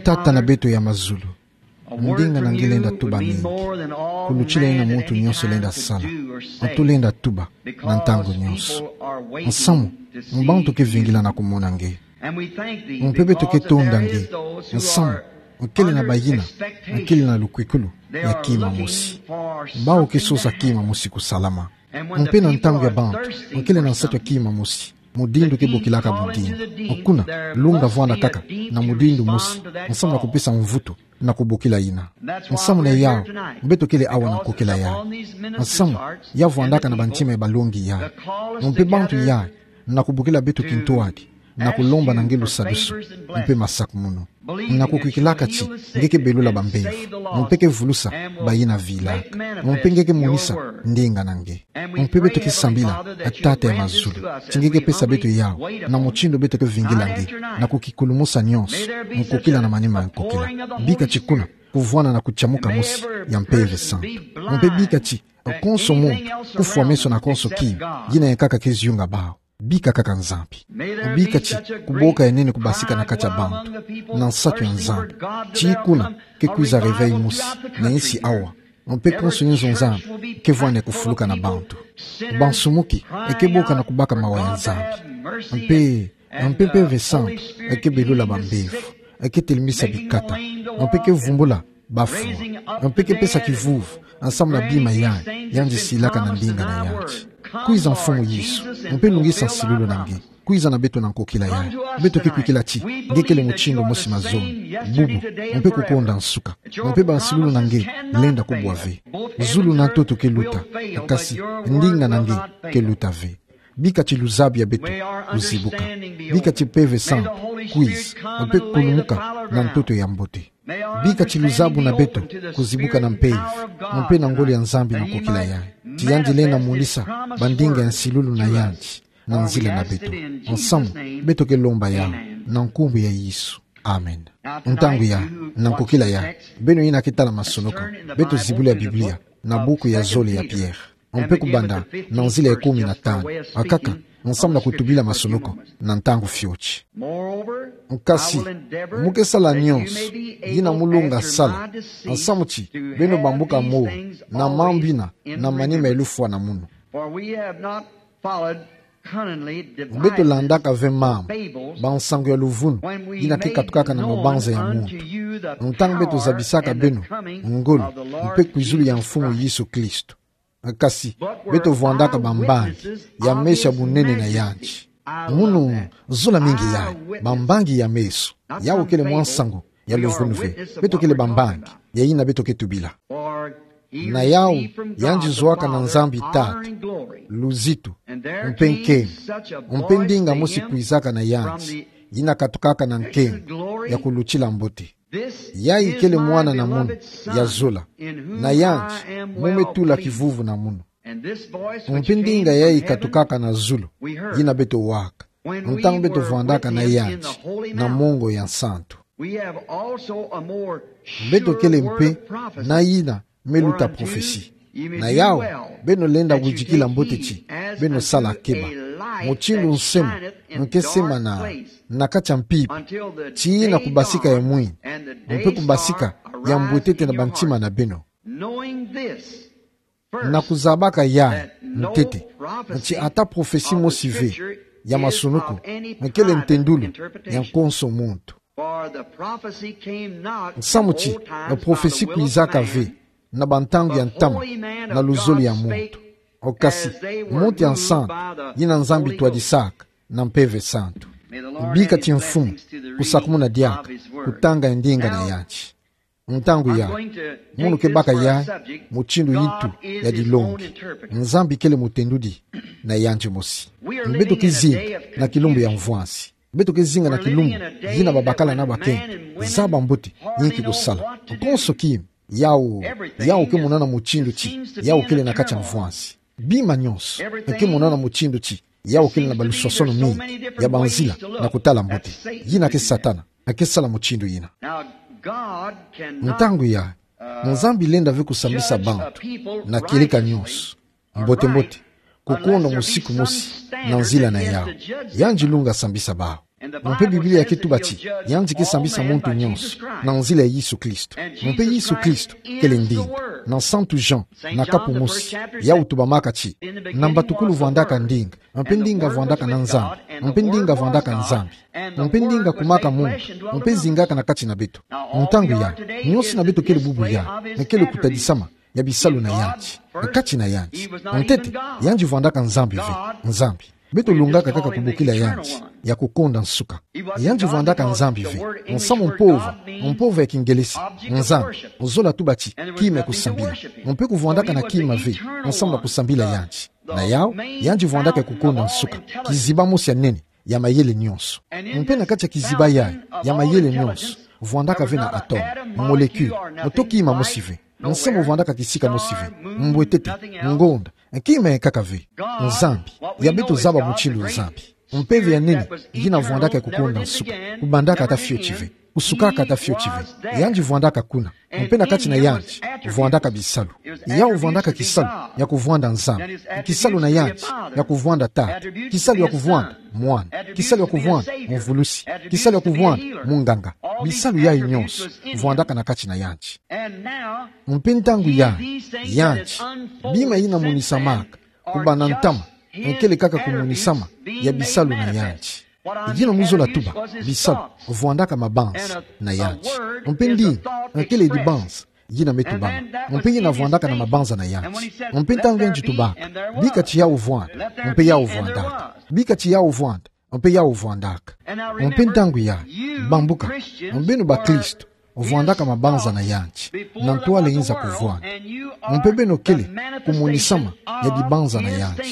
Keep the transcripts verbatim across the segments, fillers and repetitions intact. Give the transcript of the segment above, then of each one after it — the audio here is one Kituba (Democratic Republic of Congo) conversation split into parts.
Tata na beto ya mazulu, ndinga na nge lenda tuba mingi kulutila yina muntu nyonso lenda sala. Tulenda tuba na ntangu nyonso. Nsamu, mbantu ke vingila na kumona nge. Mpe beto ke tonda nge. Nsamu, kele na bayina kele na lukwikulu ya kima mosi. Bawu ke sosa kima mosi kusalama. Mpe na ntangu ya bantu kele na nsatu ya kima mosi, mudindu ke bokilaka mudindu. Kuna, lunga vwanda kaka na mudindu mosi, nsamu na kupesa mvutu na kubokila yina. Nsamu na yawu beto kele awa na nkokila yayi. Nsamu ya vwandaka na bantima ya balongi yayi. Mpe bantu yayi na kubokila beto kintwadi, na kulomba na nge lusadusu mpe masakumunu, na kukwikilaka ti nge ke belula bambevo, mpe ke vulusa bayina vilaka, mpe nge ke monisa ndinga na nge. Mpe beto ke sambila, Tata ya mazulu, ti nge ke pesa beto yawu na mutindu beto ke vingila nge, na kukikulumusa nyonso nkokila na manima ya nkokila. Bika ti kuna kuvwana na kutiamuka mosi ya Mpeve Santu. Mpe bika ti konso muntu kufwa meso na konso kima, yina yankaka ke ziyunga bawu. Bika kaka Nzambi. Bika ti kuboka ya nene kubasika na kati ya bantu, na nsatu ya Nzambi, ti kuna ke kwiza réveil mosi na insi awa. Mpe konso inzo Nzambi ke vwanda kufuluka na bantu. Bansumuki ke boka na kubaka mawa ya Nzambi. Mpe, mpe Mpeve Santu ke belula bambevo, ke telemisa bikata, mpe ke vumbula bafwa, mpe ke pesa kivuvu nsamu na bima yayi yandi silaka na ndinga na yandi. Kwiza Mfumu Yesu, mpe lungisa nsilulu na nge. Kwiza na beto na nkokila yayi. Beto ke kwikila ti nge kele mutindu mosi mazono, bubu, mpe kukonda nsuka. Mpe bansilulu na nge lenda kubwa ve. Zulu na ntoto ke luta, kasi ndinga na nge ke luta ve. Bika ti luzabu ya beto kuzibuka. Bika ti Mpeve Santu kwiza, mpe kulumuka na ntoto ya mbote. Bika ti luzabu na beto kuzibuka na mpeve, mpe na ngolo ya Nzambi na nkokila yayi, ti yandi lenda monisa bandinga ya nsilulu na yandi na nzila na beto. Nsamu, beto ke lomba yawu na nkumbu ya Yesu. Amen. Ntangu yayi, na nkokila yayi, beno yina ke tala masonoko, beto zibula ya Biblia na buku ya zole ya Pierre, mpe kubanda na nzila ya kumi na tanu, akaka nsamu na kutubila masonoko na ntangu fioti. Nkasi, mu ke sala nyonso yina mu lunga sala, nsamu ti beno bambuka mo na mambu yina na manima ya lufwa na munu. Beto landaka ve mambu, bansangu ya luvunu yina ke katukaka na mabanza ya muntu, ntangu beto zabisaka beno ngolo mpe kwizulu ya Mfumu Yesu Kristo. Kasi beto vwandaka bambangi ya meso ya bunene na yandi. Munu zola mingi yayi, bambangi ya meso. Yawu kele mwa nsangu ya luvunu ve. Beto kele bambangi ya yina beto ke tubila. Na yawu, yandi zwaka na Nzambi Tata luzitu mpe nkembo, mpe ndinga mosi kwizaka na yandi, yina katukaka na nkembo ya kulutila mbote. Yayi kele Mwana na munu ya zola, na yandi mu me tula kivuvu na munu. Mpe ndinga yayi katukaka na zulu, yina beto waka ntangu beto vwandaka na yandi na mongo ya nsantu. Beto kele mpe na yina me luta prophetie. Na yawu, beno lenda widikila mbote ti beno sala keba. Mutindu nsema nke semana na kati ya mpimpa, tii na kubasika ya mwini, mpe kubasika ya mbwetete na bantima na beno. Na kuzabaka yayi ntete, ti ata prophetie mosi ve ya masonoko kele ntendulu ya konso muntu. Nsamu ti prophetie kwizaka ve na bantangu ya ntama na luzolo ya muntu, okasi muntu ya nsantu yina Nzambi twadisaka na Mpeve Santu. Bika ti Mfumu kusakumuna diaka kutanga ya ndinga na yandi. Ntangu yayi, munu ke baka yayi mutindu yintu ya dilongi. Nzambi kele mutendudi na yandi mosi. Beto ke zinga na kilumbu ya mvwansi. Beto ke zinga na kilumbu yina babakala na bakento zaba mbote, yinki kusala. Konso kima, yawu, yawu ke monana mutindu ti yawu kele na kati ya mvwansi. Bima nyonso ke monana mutindu ti yawu kele na baluswasono mingi ya banzila na kutala mbote. Yina ke Satana ke sala mutindu yina. Ntangu yayi, Nzambi lenda ve kusambisa bantu na kieleka nyonso mbote-mbote, kukonda musiku mosi na nzila na yawu. Yandi lunga sambisa bawu. Mpe Biblia ke tuba ti, yandi ke sambisa muntu nyonso na nzila ya Yesu Kristo. Mpe Yesu Kristo kele ndinga. Na Santu Jean, na kapu mosi, yau tubamaka ti, na mbatukulu vwandaka ndinga, mpe ndinga vwandaka na Nzambi, mpe ndinga vwandaka Nzambi, mpe ndinga kumaka muntu, mpe zingaka na kati na beto. Ntangu ya, nyonso na beto kele bubu ya, kele kutadisama ya bisalu na yandi, kati na yandi. Ntete, yandi vwandaka Nzambi ve, Nzambi. Beto lungaka kaka kubokila yandi, ya kukonda nsuka. Yandi vwandaka Nzambi ve, nsamu mpova, mpova ya Kingelesi, Nzambi, zola tuba ti, kima ya kusambila. Mpe kuvwandaka na kima ve, nsamu na kusambila yandi. Na yau, yandi vwandaka ya kukonda nsuka, kiziba mosi ya nene, ya mayele nyonso. Mpe na kati ya kiziba yayi, ya mayele nyonso, vwandaka ve na atome, molécule, to kima mosi ve. Nsamu vwandaka kisika mosi ve, mbwetete, ngonda, kima ya nkaka ve. Nzambi, ya beto zaba mutindu Nzambi. Mpeve ya nene, yina vwandaka ya kukonda nsuka, kubandaka ata fioti ve, kusukaka ata fioti ve. Yandi vwandaka kuna, mpe na kati na yandi, vwandaka bisalu. Yau vwandaka kisalu ya kuvwanda Nzambi, kisalu na yandi ya kuvwanda Tata, kisalu ya kuvwanda Mwana, kisalu ya kuvwanda Muvulusi, kisalu ya kuvwanda Munganga. Bisalu yayi nyonso vwandaka na kati na yandi. Mpe ntangu ya, yandi, bima yina monisamaka, kubanda ntama, nkele kaka kumonisama ya bisalu na yandi. Yina mu zola tuba, bisalu, vwandaka mabanza na yandi. Mpe ndinga, nkele dibanza, yina me tubama. Mpe yina vwandaka na mabanza na yandi. Mpe ntangu yandi tubaka, bika ti yau vwanda, mpe yau vwandaka. Bika ti yau vwanda, mpe yau vwandaka. Mpe ntangu ya, bambuka, beno bakristo, vwandaka mabanza na yandi, na ntwala yinza kuvwanda. Mpe beno kele kumonisama ya dibanza na yandi,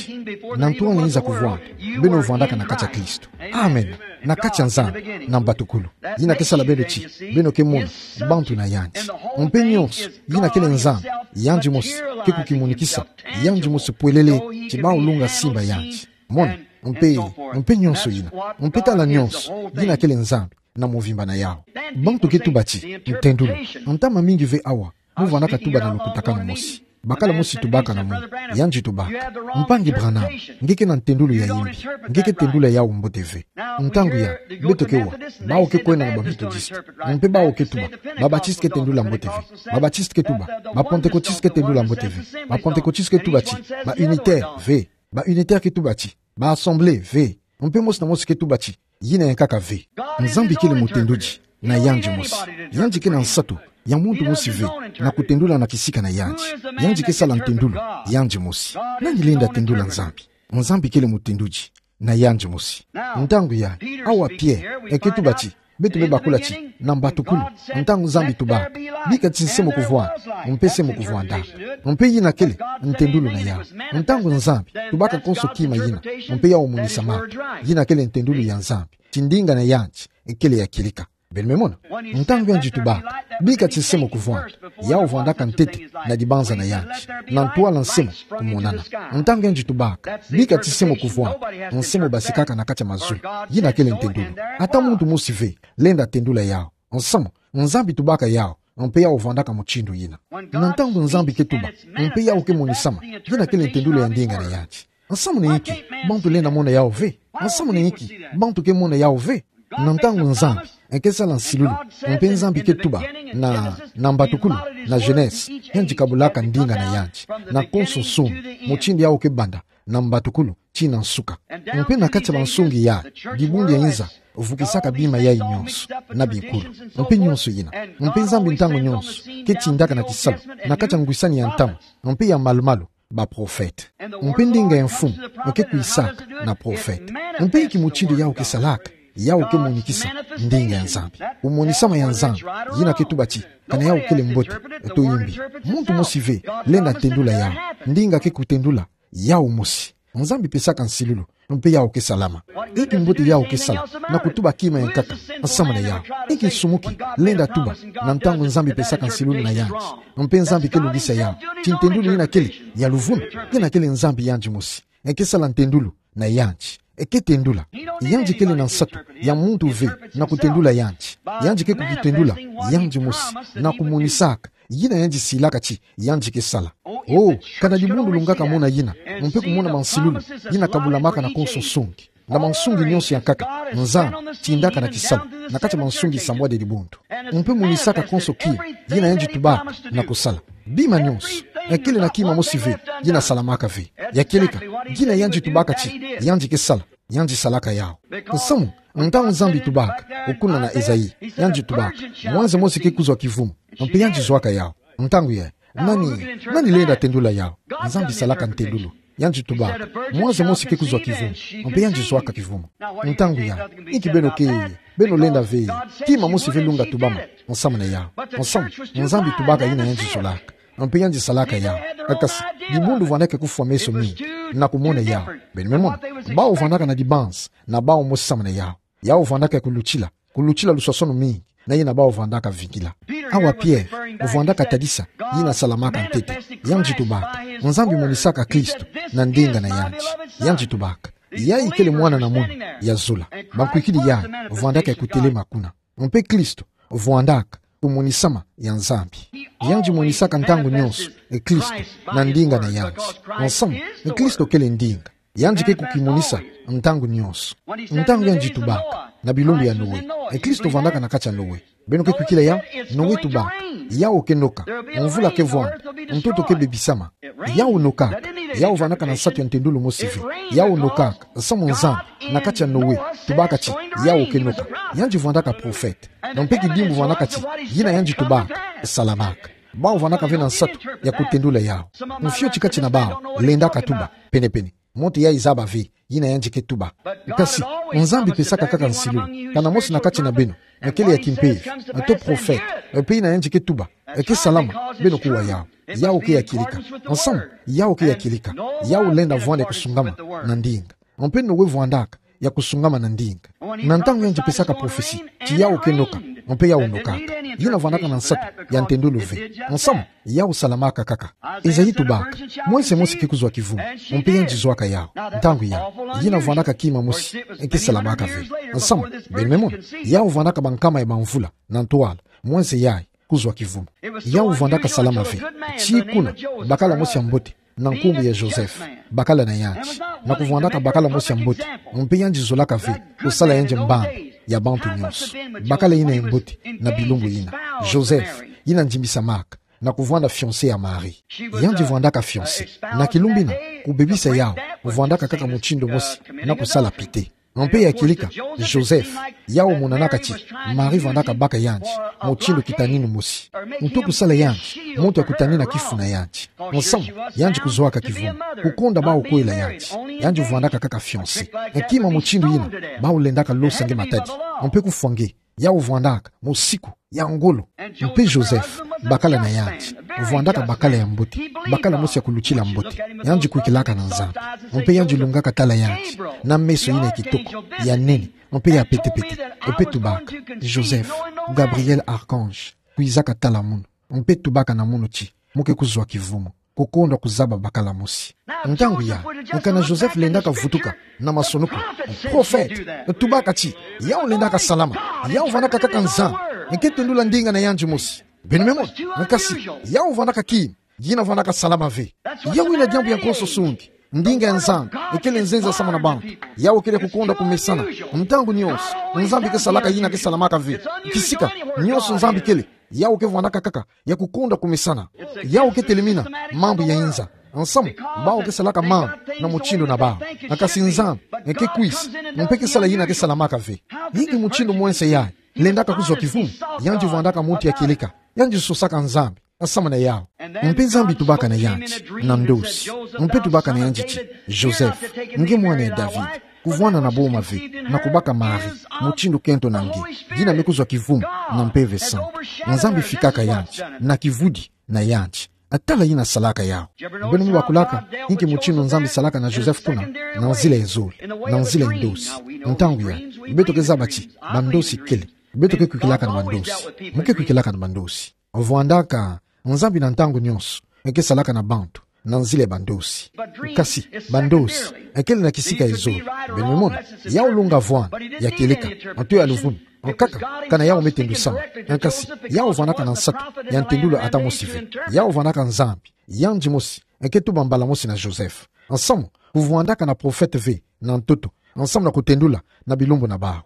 na ntwala yinza kuvwanda, beno vwandaka na kati ya Kristo. Amen. Na kati ya Nzambi, na mbatukulu. Yina ke sala beno ti, beno ke mona bantu na yandi. Mpe nyonso, yina kele Nzambi, yandi mosi, ke kukimonikisa, yandi mosi pwelele, ti bau lunga simba yandi. Mona, mpe, mpe nyonso yina, mpe tala nyonso, yina kele Nzambi, na mvimba na yau. Bantu ke tuba ti, ntendulu. Ntama mingi ve awa, mu vwandaka tuba na lukutakanu mosi. Bakala mosi tubaka na mwi, yandi tubaka: Mpangi Branham, nge ke na ntendulu ya yimbi, nge ke tendula yau mbote ve. Ntangu ya, beto ke wa, bau ke kwenda na ba Methodist. Mpe bau ke tuba, ba Baptiste ke tendula mbote ve. Ba Baptiste ke tuba, ba Pentecôtiste ke tendula mbote ve. Ba Pentecôtiste ke tuba ti, ba Unitaire ve. Ba Unitaire ke tuba ti, ba Assemblée ve. Mpe mosi na mosi ke tuba ti, yina ya nkaka ve. Nzambi kele mutendudi na yandi mosi. Yandi ke na nsatu ya muntu mosi ve na kutendula na kisika na yandi. Yandi ke sala ntendulu yandi mosi. Nani lenda tendula Nzambi? Nzambi kele mutendudi na yandi mosi. Ntangu ya, awa Pierre, e ke tuba ti, beto me bakula ti, na mbatukulu, ntangu Nzambi tubaka, bika ti nse mo kuvwanda, mpe se mo kuvwandaka. Mpe yina kele ntendulu na yau. Ntangu Nzambi tubaka konso kima yina, mpe yau monisamaka, yina kele ntendulu ya Nzambi ti ndinga na yandi kele ya kieleka. Beno me mona? Ntangu yandi tubaka, bika ti nse mo kuvwanda, yau vwandaka ntete na dibanza na yandi, na ntwala nse mo kumonana. Ntangu yandi tubaka, bika ti nse mo kuvwanda, nse mo basikaka na kati ya mazu. Yina kele ntendulu. Ata muntu mosi ve lenda tendula yau. Nsamu, Nzambi tubaka yau, mpe yau vwandaka mutindu yina. Na ntangu Nzambi ke tuba, mpe yau ke monisama, yina kele ntendulu ya ndinga na yandi. Nsamu na inki bantu lenda mona yau ve? Nsamu na inki bantu ke mona yau ve? Na ntangu Nzambi e ke sala nsilulu, mpe Nzambi ke tuba, na, na mbatukulu, na Genèse, yandi kabulaka ndinga na yandi, na konso nsungi, mutindu yau ke banda, na mbatukulu tii na nsuka. Mpe na kati ya bansungi ya, dibundu ya inza vukisaka bima yayi nyonso, na binkulu, mpe nyonso yina. Mpe Nzambi ntangu nyonso ke tindaka na kisalu, na kati ya ngwisani ya ntama, mpe ya malumalu, baprofete. Mpe ndinga ya mfumu e ke kwisaka na profete. Mpe inki mutindu yau ke salaka? Yau ke monikisa ndinga ya Nzambi. Kumonisama ya Nzambi, yina ke tuba ti, kana yau kele mbote to yimbi. Muntu mosi ve lenda tendula yau. Ndinga ke kutendula yau mosi. Nzambi pesaka nsilulu, mpe yau ke salama. Inki mbote yau ke sala na kutuba kima ya nkaka nsamu na yau? Inki nsumuki lenda tuba na ntangu Nzambi pesaka nsilulu na yandi, mpe Nzambi ke lungisa yau? Ti ntendulu yina kele ya luvunu, yina kele Nzambi yandi mosi. E ke sala ntendulu na yandi. E ke tendula. Yandi kele na nsatu ya muntu ve na kutendula yandi. Yandi ke kukitendula yandi mosi, na kumonisaka yina yandi silaka ti yandi ke sala. Oh, kana dibundu lungaka mona yina, mpe kumona mansilulu yina kabulamaka na konso nsungi. Na mansungi nyonso ya nkaka, Nzambi tindaka na kisalu na kati ya mansungi sambwadi ya dibundu. Mpe monisaka konso kima yina yandi tubaka na kusala. Bima nyonso ekele na kima mosi ve yina salamaka ve. Ya kieleka, ngina yandi tubaka ti yandi ke sala, yandi salaka yawu. Nsamu, ntangu Nzambi tubaka, kuna na Esaïe, yandi tubaka: Mwanze mosi ke kuzwa kivumu, mpe yandi zwaka yawu. Ntangu ya, nani, nani lenda tendula yawu? Nzambi salaka ntendulu. Yandi tubaka: Mwanze mosi ke kuzwa kivumu, mpe yandi zwaka kivumu. Ntangu ya, inki beno ke, beno lenda ve, kima mosi ve lunga tubama nsamu na yawu. Nsamu, Nzambi tubaka yina yandi zolaka, mpe yandi salaka yawu. Kasi, dibundu vwandaka kufwa meso mingi na kumona yawu. Beno me mona, bawu vwandaka na dibanzi na bawu mosi samu na yawu. Yawu vwandaka ya kulutila, kulutila luswasono mingi na yina bawu vwandaka vingila. Awa Pierre vwandaka tadisa yina salamaka ntete. Yandi tubaka: Nzambi monisaka Kristo na ndinga na yandi. Yandi tubaka: Yayi kele Mwana na munu ya zola. Bankwikidi yayi vwandaka ya kutelema kuna. Mpe Kristo vwandaka kumonisama ya Nzambi. Yandi monisaka ntangu nyonso e Kristo na ndinga na yandi. Nsamu, e Kristo kele ndinga. Yandi ke kukimonisa ntangu nyonso. Ntangu yandi tubaka na bilumbu ya Noe, e Kristo vwandaka na kati ya Noe. Beno ke kwikila yawu? Noe tubaka: Yawu ke noka, mvula ke vwanda, ntoto ke bebisama. Yawu nokaka. Yawu vwandaka na nsatu ya ntendulu mosi ve. Yawu nokaka, nsamu Nzambi, na kati ya Noe, tubaka ti yawu ke noka. Yandi vwandaka profete. Mpe kidimbu vwandaka ti yina yandi tubaka salamaka. Bawu vwandaka ve na nsatu ya kutendula yawu. Mfioti kati na bawu lendaka tuba, penepene, muntu yayi zaba ve yina yandi ke tuba. Kasi, Nzambi pesaka kaka nsilu: Kana mosi na kati na beno ekele ya kimpeve, to profete, mpe yina yandi ke tuba eke salama, beno kuwa yawu. Yawu ke ya kieleka. Nsamu, yawu ke ya kieleka. Yawu lenda vwanda ya kusungama na ndinga. Mpe Noe vwandaka ya kusungama na ndinga. Na ntangu yandi pesaka profesi ti yawu ke noka, mpe yawu nokaka, yina vwandaka na nsatu ya ntendulu ve. Nsamu, yawu salamaka kaka. Esaïe tubaka: Mwanze mosi ke kuzwa kivumu, mpe yandi zwaka yawu. Ntangu ya, yina vwandaka kima mosi ke salamaka ve. Nsamu, beno me mona, yawu vwandaka bankama ya bamvula na ntwala mwanze yayi kuzwa kivumu. Yawu vwandaka salama ve. Tii kuna, bakala mosi ya mbote na nkumbu ya Joseph, bakala na yandi. Na kuvwandaka bakala mosi ya mbote, mpe yandi zolaka ve kusala yandi mbambi ya bantu nyonso. Bakala yina ya mbote na bilumbu yina. Joseph, yina ndimbisamaka na kuvwanda fiancé ya Marie. Yandi vwandaka fiancé. Na kilumbu yina, kubebisa yawu vwandaka kaka mutindu mosi na kusala pite. Mpe ya kieleka, Joseph, yawu monanaka ti Marie vwandaka baka yandi mutindu kitaninu mosi, nto kusala yandi muntu ya kutanina kifu na yandi. Nsamu, yandi kuzwaka kivumu, kukonda bawu kwela yandi. Yandi vwandaka kaka fiancé. Kima mutindu yina, bawu lendaka losa nge matadi, mpe kufwa nge. Yawu vwandaka musiku ya ngolo. Mpe Joseph, bakala na yandi, vwandaka bakala ya mbote, bakala mosi ya kulutila mbote. Yandi kwikilaka na Nzambi. Mpe yandi lungaka tala yandi na meso yina ya kitoko, ya nene, mpe ya petepete. Mpe tubaka: Joseph, Gabriel archange kwizaka tala munu, mpe tubaka na munu ti mu ke kuzwa kivumu, kukonda kuzaba bakala mosi. Ntangu ya, kana Joseph lendaka vutuka na masonuku: Profete, tubaka ti yawu lendaka salama. Yawu vwandaka kaka Nzambi, nge ke tendula ndinga na yandi mosi. Beno me mona, kasi yawu vwandaka kima yina vwandaka salama ve. Yawu yina diambu ya nkoso sungi. Ndinga ya Nzambi ekele nzenza samu na bantu. Yawu kele kukonda kumesana. Ntangu nyonso Nzambi ke salaka yina ke salamaka ve. Kisika nyonso Nzambi kele, yawu ke vwandaka kaka ya kukonda kumesana. Yawu ke telemina mambu ya inza. Nsamu, bawu ke salaka mambu na mutindu na bawu. Kasi Nzambi nge ke kwisa, mpe ke sala yina ke salamaka ve. Inki mutindu mwense yayi lendaka kuzwa kivumu? Yandi vwandaka muntu ya kieleka. Yandi sosaka Nzambi samu na yawu. Mpe Nzambi tubaka na yandi na ndosi. Mpe tubaka na yandi ti: Joseph, nge mwana ya David, kuvwanda na boma ve na kubaka Marie mutindu kento na nge, yina me kuzwa kivumu na Mpeve Santu. Nzambi fikaka yandi na kivudi na yandi. Tala yina salaka yawu. Beno me bakulaka inki mutindu Nzambi salaka na Joseph kuna? Na nzila ya zole, na nzila ya ndosi. Ntangu ya, beto ke zaba ti bandosi kele. Beto ke kwikilaka na bandosi. Mu ke kwikilaka na bandosi. Vwandaka Nzambi na ntangu nyonso nge ke salaka na bantu na nzila ya bandosi. Kasi bandosi ekele na kisika ya zole. Beno me mona, yawu lunga vwanda ya kieleka, nto ya luvunu. Nkaka, kana yawu me tendusama. Kasi yawu vwandaka na nsatu ya ntendulu ata mosi ve. Yawu vwandaka Nzambi yandi mosi nge ke tuba mbala mosi na Joseph. Nsamu, kuvwandaka na profete ve na ntoto, nsamu na kutendula na bilumbu na bawu.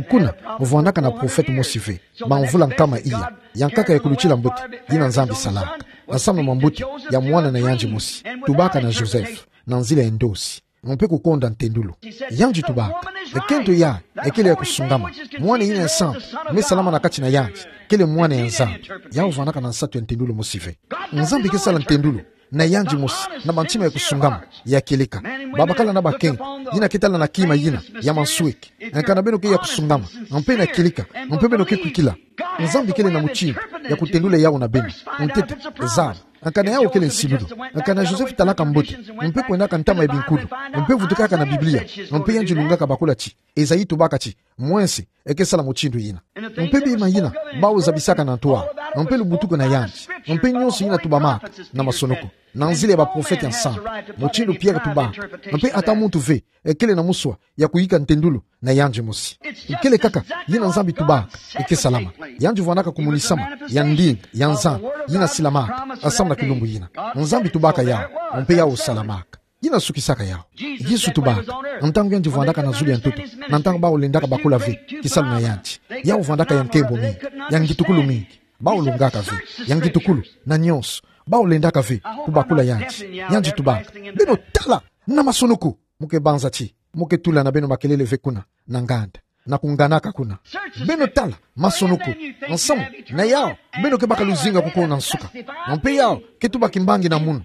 Kuna, vwandaka na profete mosi ve, bamvula nkama iya, ya nkaka ya kulutila mbote, yina Nzambi salaka, nsamu na mambote ya mwana na yandi mosi, tubaka na Joseph, na nzila ya ndosi, mpe kukonda ntendulu. Yandi tubaka, ekento yayi, ekele ya kusungama, mwana yina ya nsampu, me salama na kati na yandi, kele mwana ya Nzambi. Yawu vwandaka na nsatu ya ntendulu mosi ve. Nzambi ke sala ntendulu na yandi mosi, na bantima ya kusungama, ya kieleka. Babakala na bakento, yina ke tala na kima yina ya mansweki. Nkana beno ke ya kusungama, mpe na kieleka, mpe beno ke kwikila, Nzambi kele na mutindu ya kutendula yawu na beno. Ntete, zaba, nkana yawu kele nsilu. Nkana Joseph talaka mbote, mpe kwendaka ntama ya binkulu, mpe vutukaka na Biblia, mpe yandi lungaka bakula ti, Esaïe tubaka ti, mwense, eke sala mutindu yina. Mpe bima yina, bawu zabisaka na ntwala, mpe lubutuku na yandi, mpe nyonso yina tubamaka na masonoko, na nzila ya baprofete ya nsambu, mutindu Pierre tubaka, mpe ata muntu ve ekele na muswa ya kuyika ntendulu na yandi mosi. Ikele kaka yina Nzambi tubaka eke salama. Yandi vwandaka kumunisama ya ndinga ya Nzambi yina silamaka, nsamu na kilumbu yina. Nzambi tubaka yawu, mpe yawu salamaka. Yina sukisaka yawu. Yesu tubaka, ntangu yandi vwandaka na zulu ya ntoto, na ntangu bawu lendaka bakula ve kisalu na yandi, yawu vwandaka ya nkembo mingi, ya ngitukulu mingi. Bawu lungaka ve, ya ngitukulu, na nyonso. Bawu lendaka ve kubakula yandi. Yandi tubaka, beno tala na masonoko. Mu ke banza ti, mu ke tula na beno makelele ve kuna na nganda, na kunganaka kuna. Beno tala masonoko, nsamu na yawu beno ke baka luzinga kukona nsuka. Mpe yawu ke tuba kimbangi na munu.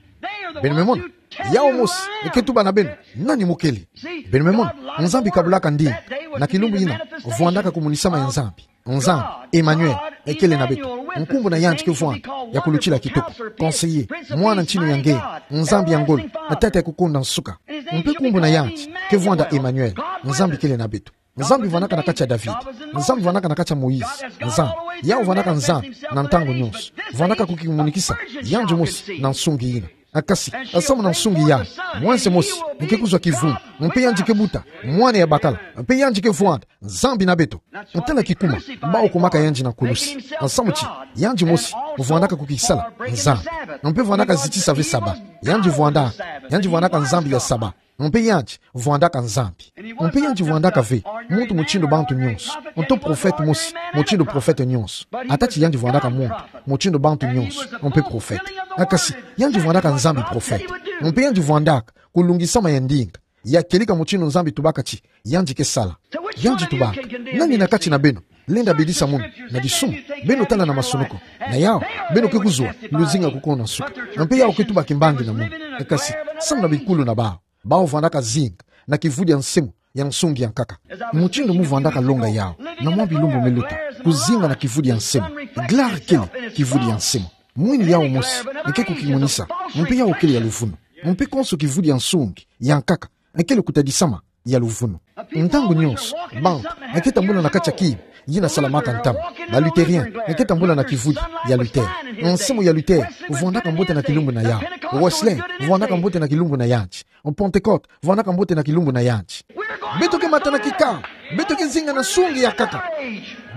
Beno me mona, yawu mosi eke tuba na beno, nani mu kele. Beno me mona, Nzambi kabulaka ndinga. Na kilumbu yina, vwandaka kumunisama ya Nzambi. Nzambi, Emmanuel, ekele na beto. Nkumbu na yandi ke vwanda ya kulutila kitoko, Conseiller, Mwana Ntinu ya Ngeye, Nzambi ya ngolo, na Tata ya kukonda nsuka. Mpe nkumbu na yandi ke vwanda Emmanuel, Nzambi kele na beto. Nzambi vwandaka na kati ya David, Nzambi vwandaka na kati ya Moïse, Nzambi, yawu vwandaka Nzambi na ntangu nyonso. Vwandaka kukimonikisa yandi mosi na nsungi yina. Kasi, nsamu na nsungi yayi, mwense mosi ke kuzwa kivundu, mpe yandi ke buta mwana ya bakala, mpe yandi ke vwanda Nzambi na beto. Tala kikuma bawu kumaka yandi na kulusi. Nsamu ti, yandi mosi vwandaka kukisala Nzambi. Mpe vwandaka zitisa ve Saba. Yandi vwandaka, yandi vwandaka Nzambi ya Saba. Mpe yandi vwandaka Nzambi. Mpe yandi vwandaka ve muntu mutindu bantu nyonso, nto profete mosi mutindu profete nyonso. Ata ti yandi vwandaka muntu mutindu bantu nyonso, mpe profete, kasi yandi vwandaka Nzambi profete. Mpe yandi vwandaka kulungisama ya ndinga, ya kieleka mutindu Nzambi tubaka ti yandi ke sala. Yandi tubaka, nani na kati na beno lenda bidisa munu na disumu? Beno tala na masonoko. Na yawu beno ke kuzwa luzinga kukona nsuka. Mpe yawu ke tuba kimbangi na munu. Kasi, nsamu na bikulu na bawu, bawu vwandaka zinga na kivudi ya nsemo ya nsungi ya nkaka. Mutindu mu vwandaka longa yawu na mwa bilumbu me luta, kuzinga na kivudi ya nsemo. Gloire kele kivudi ya nsemo. Mwini yawu mosi ke kukimonisa, mpe yawu kele ya luvunu. Mpe konso kivudi ya nsungi ya nkaka kele kutadisama ya luvunu. Ntangu nyonso bantu ke tambula na kati ya kima, yina salamaka ntama. Ba Luthériens ke tambula na kivudi ya Luther. Nsemo ya Luther vwandaka mbote na kilumbu na yawu. Wesley vwandaka mbote na kilumbu na yandi. Pentecôte vwandaka mbote na kilumbu na yandi. Beto ke mata na kikamba, beto ke zinga na nsungi ya nkaka.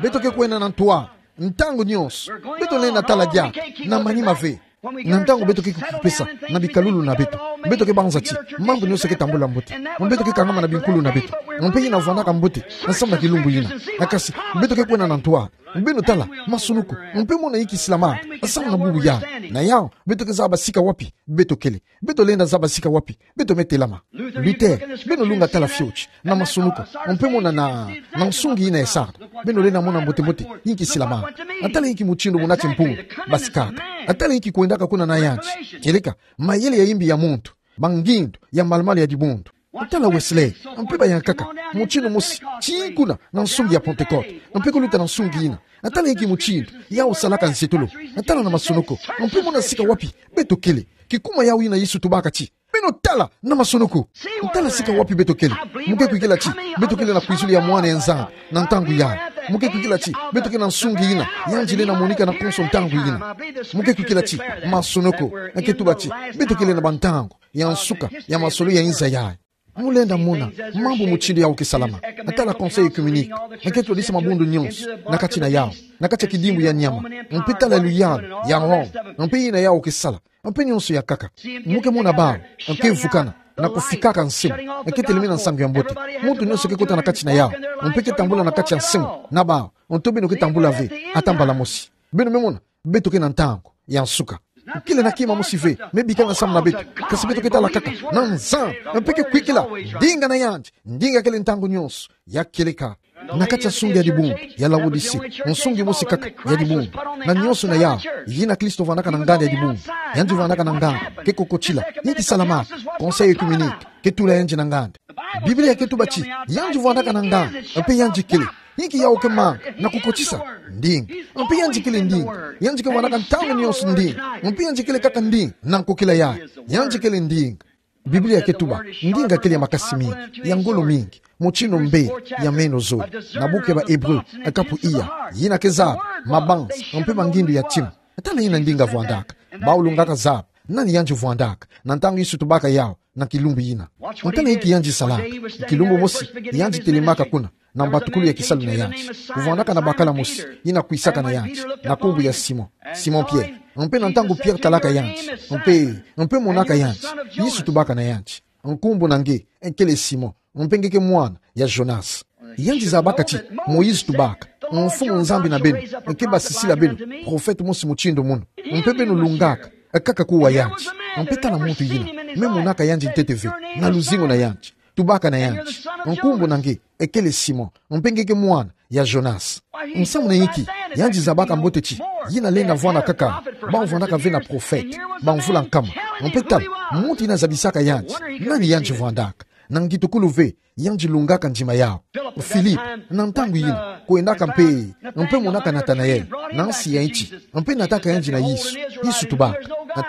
Beto ke kwenda na ntwala ntangu nyonso. Beto lenda tala diaka na manima ve. Na ntangu beto ke kukipesa na bikalulu na beto, beto ke banza ti mambu nyonso ke tambula mbote. Beto ke kangama na binkulu na beto. Mpe yina vwandaka mbote nsamu na kilumbu yina. Kasi, beto ke kwenda na ntwala. Beno tala masonoko, mpe mona inki silamaka nsamu na bubu yayi. Na yawu beto ke zaba sika wapi beto kele. Beto lenda zaba sika wapi beto me telama. Luther, beno lunga tala fioti na masonoko, mpe mona na, na nsungi yina ya Sardes. Beno lenda mona mbote-mbote inki silamaka. Tala inki mutindu muna ti mpungu basikaka. Tala inki kwendaka kuna na yandi. Kieleka mayele ya imbi ya muntu, bangindu ya malu-malu ya dibundu. Tala Wesley, mpe bayankaka, mutindu mosi tii kuna na nsungi ya Pentecôte, mpe kuluta na nsungi yina. Tala inki mutindu yawu salaka nsetolo. Tala na masonoko, mpe mona sika wapi beto kele. Kikuma yawu yina Yesu tubaka ti beno tala na masonoko. Tala sika wapi beto kele. Mu ke kwikila ti beto kele na kwizulu ya Mwana ya Nzambi na ntangu yayi. Mu ke kwikila ti beto kele na nsungi yina yandi lenda monika na konso ntangu yina. Mu ke kwikila ti masonoko ke tuba ti beto kele na bantangu ya nsuka ya masolo ya inza yayi. Mu lenda mona mambu mutindu yawu ke salama. Tala Conseil œcuménique ke twadisa mabundu nyonso na kati na yawu, na kati ya kidimbu ya nyama. Mpe tala luyalu ya Rome, mpe yina yawu ke sala, mpe nyonso ya nkaka. Mu ke mona bawu ke vukana na kufikaka nse mu, e ke telemena nsangu ya mbote. Muntu nyonso ke kota na kati na yawu, mpe ke tambula na kati ya nse mu, na bawu, nto beno ke tambula ve, ata mbala mosi. Beno me mona, beto ke na ntangu ya nsuka. Kele na kima mosi ve me bikana samu na beto, kasi beto ke tala kaka na Nzambi, mpe ke kwikila ndinga na yandi, ndinga kele ntangu nyonso ya kieleka. Na kati ya nsungi ya dibundu ya Laodicée, nsungi mosi kaka ya dibundu, na nyonso na yawu, yina Kristo vandaka na nganda ya dibundu. Yandi vandaka na nganda ke kokotila, yandi salamaka Conseil œcuménique, ke tula yandi na nganda. Biblia ke tuba ti yandi vandaka na nganda, mpe yandi kele, inki yawu ke manga na kukotisa? Ndinga. Mpe yandi kele ndinga, yandi ke vandaka ntangu nyonso ndinga, mpe yandi kele kaka ndinga na nkokila yayi. Yandi kele ndinga. Biblia ke tuba ndinga kele ya makasi mingi, ya ngolo mingi, mutindu mbele ya meno zole. Na buku ya ba Hébreux, kapu iya, yina ke zaba mabanza mpe mangindu ya ntima. Tala yina ndinga vandaka. Bawu lungaka zaba nani yandi vandaka na ntangu Yesu tubaka yawu na kilumbu yina. Tala inki yandi salaka. Kilumbu mosi, yandi telemaka kuna na mbatukulu ya kisalu na yandi. Kuvandaka na bakala mosi yina kwisaka na yandi, na nkumbu ya Simon, Simon Pierre. Mpe na ntangu Pierre talaka yandi, mpe, mpe monaka yandi, Yesu tubaka na yandi: Nkumbu na nge kele Simon, mpe nge ke mwana ya Jonas. Yandi zabaka ti Moïse tubaka: Mfumu Nzambi na beno ke basisila beno prophète mosi mutindu mono, mpe beno lungaka kaka kuwa yandi. Mpe tala muntu yina, me monaka yandi ntete ve na luzingu na yandi, tubaka na yandi: Nkumbu na nge kele Simon, mpe nge ke mwana ya Jonas. Nsamu na inki yandi zabaka mbote ti yina lenda vwanda kaka bawu vandaka ve na prophète bamvula nkama? Mpe tala muntu yina zabisaka yandi nani yandi vwandaka. Na ngitukulu ve, yandi lungaka ndima yawu. Philippe, na ntangu yina, kwendaka mpe, mpe monaka Nathanaël na nsi ya inti, mpe nataka yandi na Yesu. Yesu tubaka: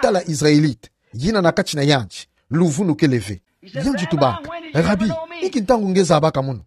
Tala Israélite yina na kati na yandi luvunu kele ve. Yandi tubaka: Rabi, inki ntangu nge zabaka mono?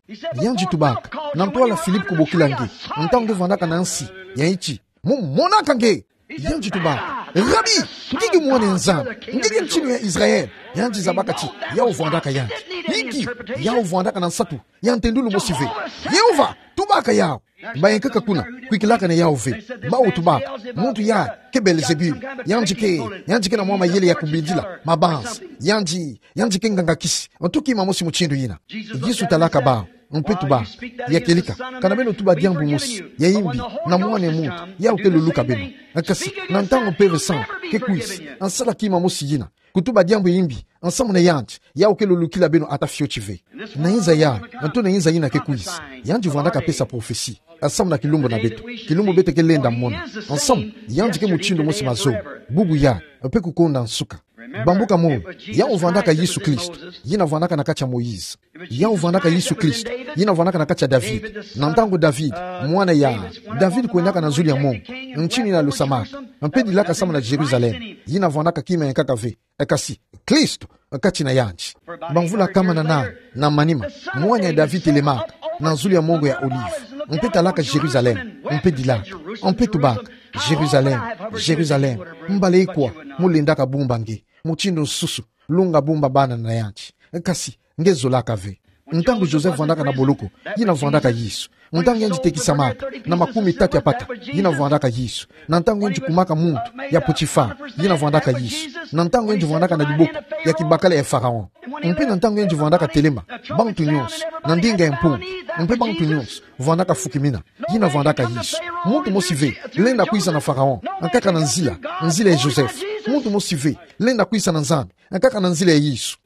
Yandi tubaka: Na ntwala Philippe kubokila nge, ntangu nge vandaka na nsi ya inti, mu monaka nge. Yandi tubaka: Rabi, nge ke mwana ya Nzambi, nge ke ntinu ya Israël. Yandi zabaka ti yawu vwandaka yandi. Inki? Yawu vwandaka na nsatu ya ntendulu mosi ve. Yehova tubaka yawu. Bayankaka kuna, kwikilaka na yawu ve. Bawu tubaka: Muntu yayi ke Belzébul. Yandi ke, yandi ke na mwa mayele ya kubindila mabanza. Yandi, yandi ke nganga-kisi, nto kima mosi mutindu yina. Yesu talaka bawu, mpe tubaka: Ya kieleka, kana beno tuba diambu mosi ya imbi na Mwana ya muntu, yawu ke luluka beno. Kasi na ntangu Mpeve Santu ke kwisa, nsala kima mosi yina, kutuba diambu ya imbi nsamu na yandi, yawu ke lulukila beno ata fioti ve. Na inza yayi, nto na inza yina ke kwisa, yandi vwandaka pesa prophetie nsamu na kilumbu na beto, kilumbu beto ke lenda mona. Nsamu yandi ke mutindu mosi mazoba, bubu yayi, mpe kukonda nsuka. Bambuka moyo, yawu vwandaka Yesu Kristo, yina vwandaka na kati ya Moïse. Yawu vwandaka Yesu Kristo, yina vwandaka na kati ya David. Na ntangu David, mwana ya David, kwendaka na zulu ya mongo, ntinu yina lusamaka, mpe dilaka samu na Jérusalem, yina vwandaka kima yankaka ve, kasi Kristo kati na yandi. Bamvula kama na nani na manima, mwana ya David telemaka na zulu ya mongo ya Olive, mpe talaka Jérusalem, mpe dilaka, mpe tubaka: Jérusalem, Jérusalem, mbala ikwa mu lendaka bumba nge, mutindu nsusu lunga bumba bana na yandi, kasi nge zolaka ve. Ntangu Joseph vwandaka na boloko, yina vwandaka Yesu. Ntangu yandi tekisamaka na makumi tatu ya pata, yina vwandaka Yesu. Na ntangu yandi kumaka muntu ya Potiphar, yina vwandaka Yesu. Na ntangu yandi vwandaka na diboko ya kibakala ya Pharaon, mpe na ntangu yandi vwandaka telema bantu nyonso na ndinga ya mpungu, mpe bantu nyonso vwandaka fukimina, yina vwandaka Yesu. Muntu mosi ve lenda kwisa na Pharaon nkaka na nzila, nzila ya Joseph. Muntu mosi ve lenda kwisa na Nzambi nkaka na nzila ya Yesu.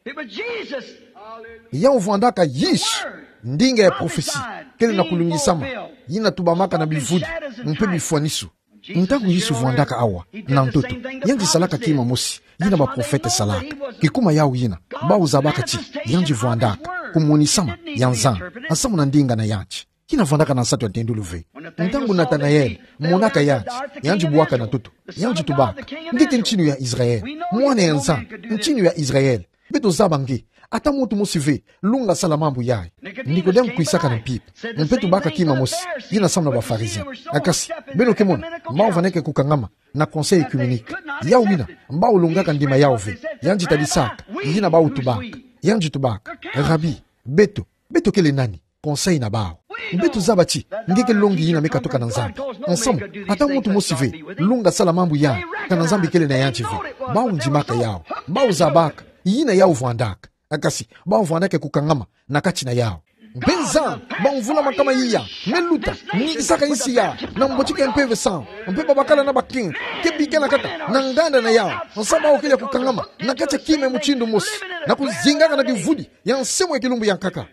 Yawu vwandaka Yesu, ndinga ya prophetie kele na kulungisama, yina tubamaka na bivudi mpe bifwaniso. Ntangu Yesu vwandaka awa na ntoto, yandi salaka kima mosi yina baprofete salaka. Kikuma yawu yina, bawu zabaka ti yandi vwandaka kumonisama ya Nzambi nsamu na ndinga na yandi. Kina vwandaka na nsatu ya ntendulu ve. Ntangu Nathanael monaka yandi, yandi bwaka na ntoto, yandi tubaka: Nge ke ntinu ya Israel, mwana ya Nzambi, ntinu ya Israel. Beto zaba nge, ata muntu mosi ve lunga sala mambu yayi. Nikodem kwisaka na mpimpa, mpe tubaka kima mosi yina samu na ba Pharisien. Kasi beno ke mona, bawu vaneke kukangama na Conseil œcuménique. Yawu yina, bawu lungaka ndima yawu ve. Yandi talisaka yina bawu tubaka. Yandi tubaka: Rabi, beto, beto kele nani? Conseil na bawu. Beto zaba ti nge ke longi yina me katuka na Nzambi. Nsamu, ata muntu mosi ve lunga sala mambu yayi kana Nzambi kele na yandi ve. Bawu ndimaka yawu. Bawu zabaka yina yawu vwandaka. Kasi, bawu vandaka kukangama na kati na yawu. Mpe Nzambi, bamvula makama iya, me luta, nikisaka insi ya, na mbotiki ya mpeve samu, mpe babakala na bakenge, ke bikela kaka na nganda na yawu, nsa bawu kele ya kukangama na kati ya kima ya mutindu mosi, na kuzingaka na kivudi ya nse mo ya kilumbu ya nkaka.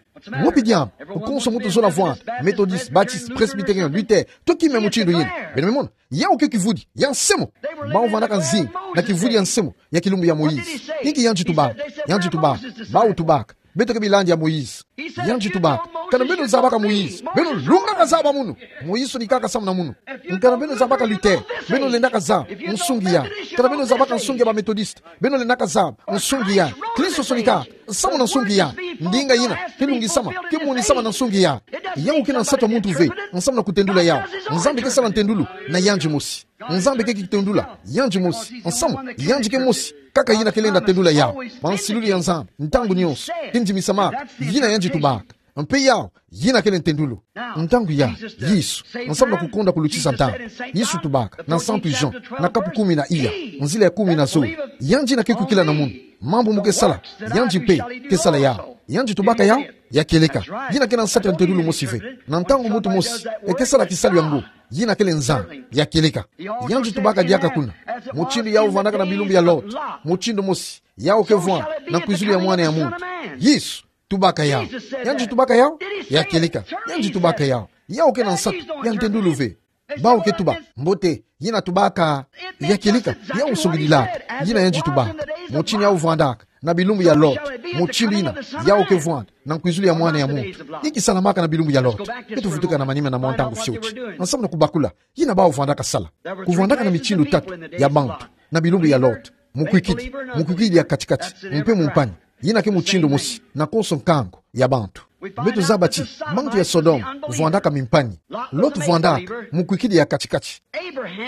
Wapi diambu konso muntu zola vwanda, Methodiste, Baptiste, Presbytérien, Luther, to kima ya mutindu yina? Beno me mona, yawu ke kivudi ya nse mo. Bawu vandaka nzinga na kivudi ya nse mo ya kilumbu ya Moïse. Inki yandi tubaka? Yandi tubaka, bawu tubaka, beto ke bilandi ya Moïse. Yandi tubaka, kana beno zabaka Moïse, beno lungaka zaba munu. Moïse sonikaka samu na munu. Kana beno zabaka Luther, beno lendaka zaba nsungi ya. Kana beno zabaka nsungi ya ba Methodiste, beno lendaka zaba nsungi ya. Kristo sonikaka samu na nsungi ya. Ndinga yina ke lungisama, ke monisama na nsungi ya. Yawu ke na nsatu ya muntu ve nsamu na kutendula yawu. Nzambi ke sala ntendulu na yandi mosi. Nzambi ke kitendula yandi mosi nsamu yandi ke mosi kaka yina ke lenda tendula yawu. Bansilulu ya Nzambi ntangu nyonso ke ndimisamaka. Yina yandi tubaka. Mpe yawu yina kele ntendulu. Ntangu ya Yesu, nsamu na kukonda kulutisa ntangu, Yesu tubaka na Santu Jean, na kapu kumi na iya, nzila ya kumi na zole: Yandi yina ke kwikila na munu, mambu mo ke sala, yandi mpe ke sala yawu. Yandi tubaka yawu? Ya kieleka. Yina ke na nsatu ya ntendulu mosi ve. Na ntangu muntu mosi e ke sala kisalu yango, yina kele Nzambi. Ya kieleka. Yandi tubaka diaka kuna, mutindu yawu vandaka na bilumbu ya Lot, mutindu mosi yawu ke vwanda na nkwizulu ya Mwana ya muntu. Yesu tubaka yawu? Yandi tubaka yawu? Ya kieleka. Yandi tubaka yawu? Yawu ke na nsatu ya ntendulu ve. Bawu ke tuba: Mbote, yina tubaka. Ya kieleka. Yawu songidilaka yina yandi tubaka, mutindu yawu vandaka na bilumbu ya Lot, mutindu yina yawu ke vwanda na nkwizulu ya Mwana ya muntu. Inki salamaka na bilumbu ya Lot? Beto vutuka na manima na mwa ntangu fioti nsamu na kubakula yina bawu vandaka sala. Kuvandaka na mitindu tatu ya bantu na bilumbu ya Lot: mukwikidi, mukwikidi ya kati-kati, mpe mumpangi. Yina ke mutindu mosi na konso nkangu ya bantu. Beto zaba ti bantu ya Sodome vandaka mimpangi. Lot vandaka mukwikidi ya kati-kati.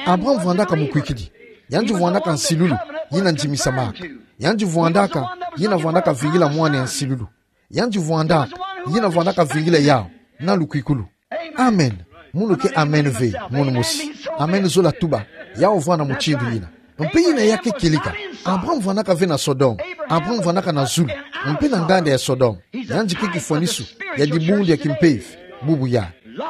Abraham vandaka mukwikidi. Yandi vandaka nsilulu yina ndimisamaka. Yandi vandaka yina vandaka vingila mwana ya nsilulu. Yandi vandaka yina vandaka vingila yawu na lukwikulu. Amen. Munu ke amen ve, munu mosi. Amen zola tuba yawu vwanda mutindu yina. Mpe yina ya ke kieleka. Abraham vandaka ve na Sodome. Abraham vandaka na zulu, mpe na nganda ya Sodome. Yandi ke kifwanisu ya dibundu ya kimpeve bubu yai.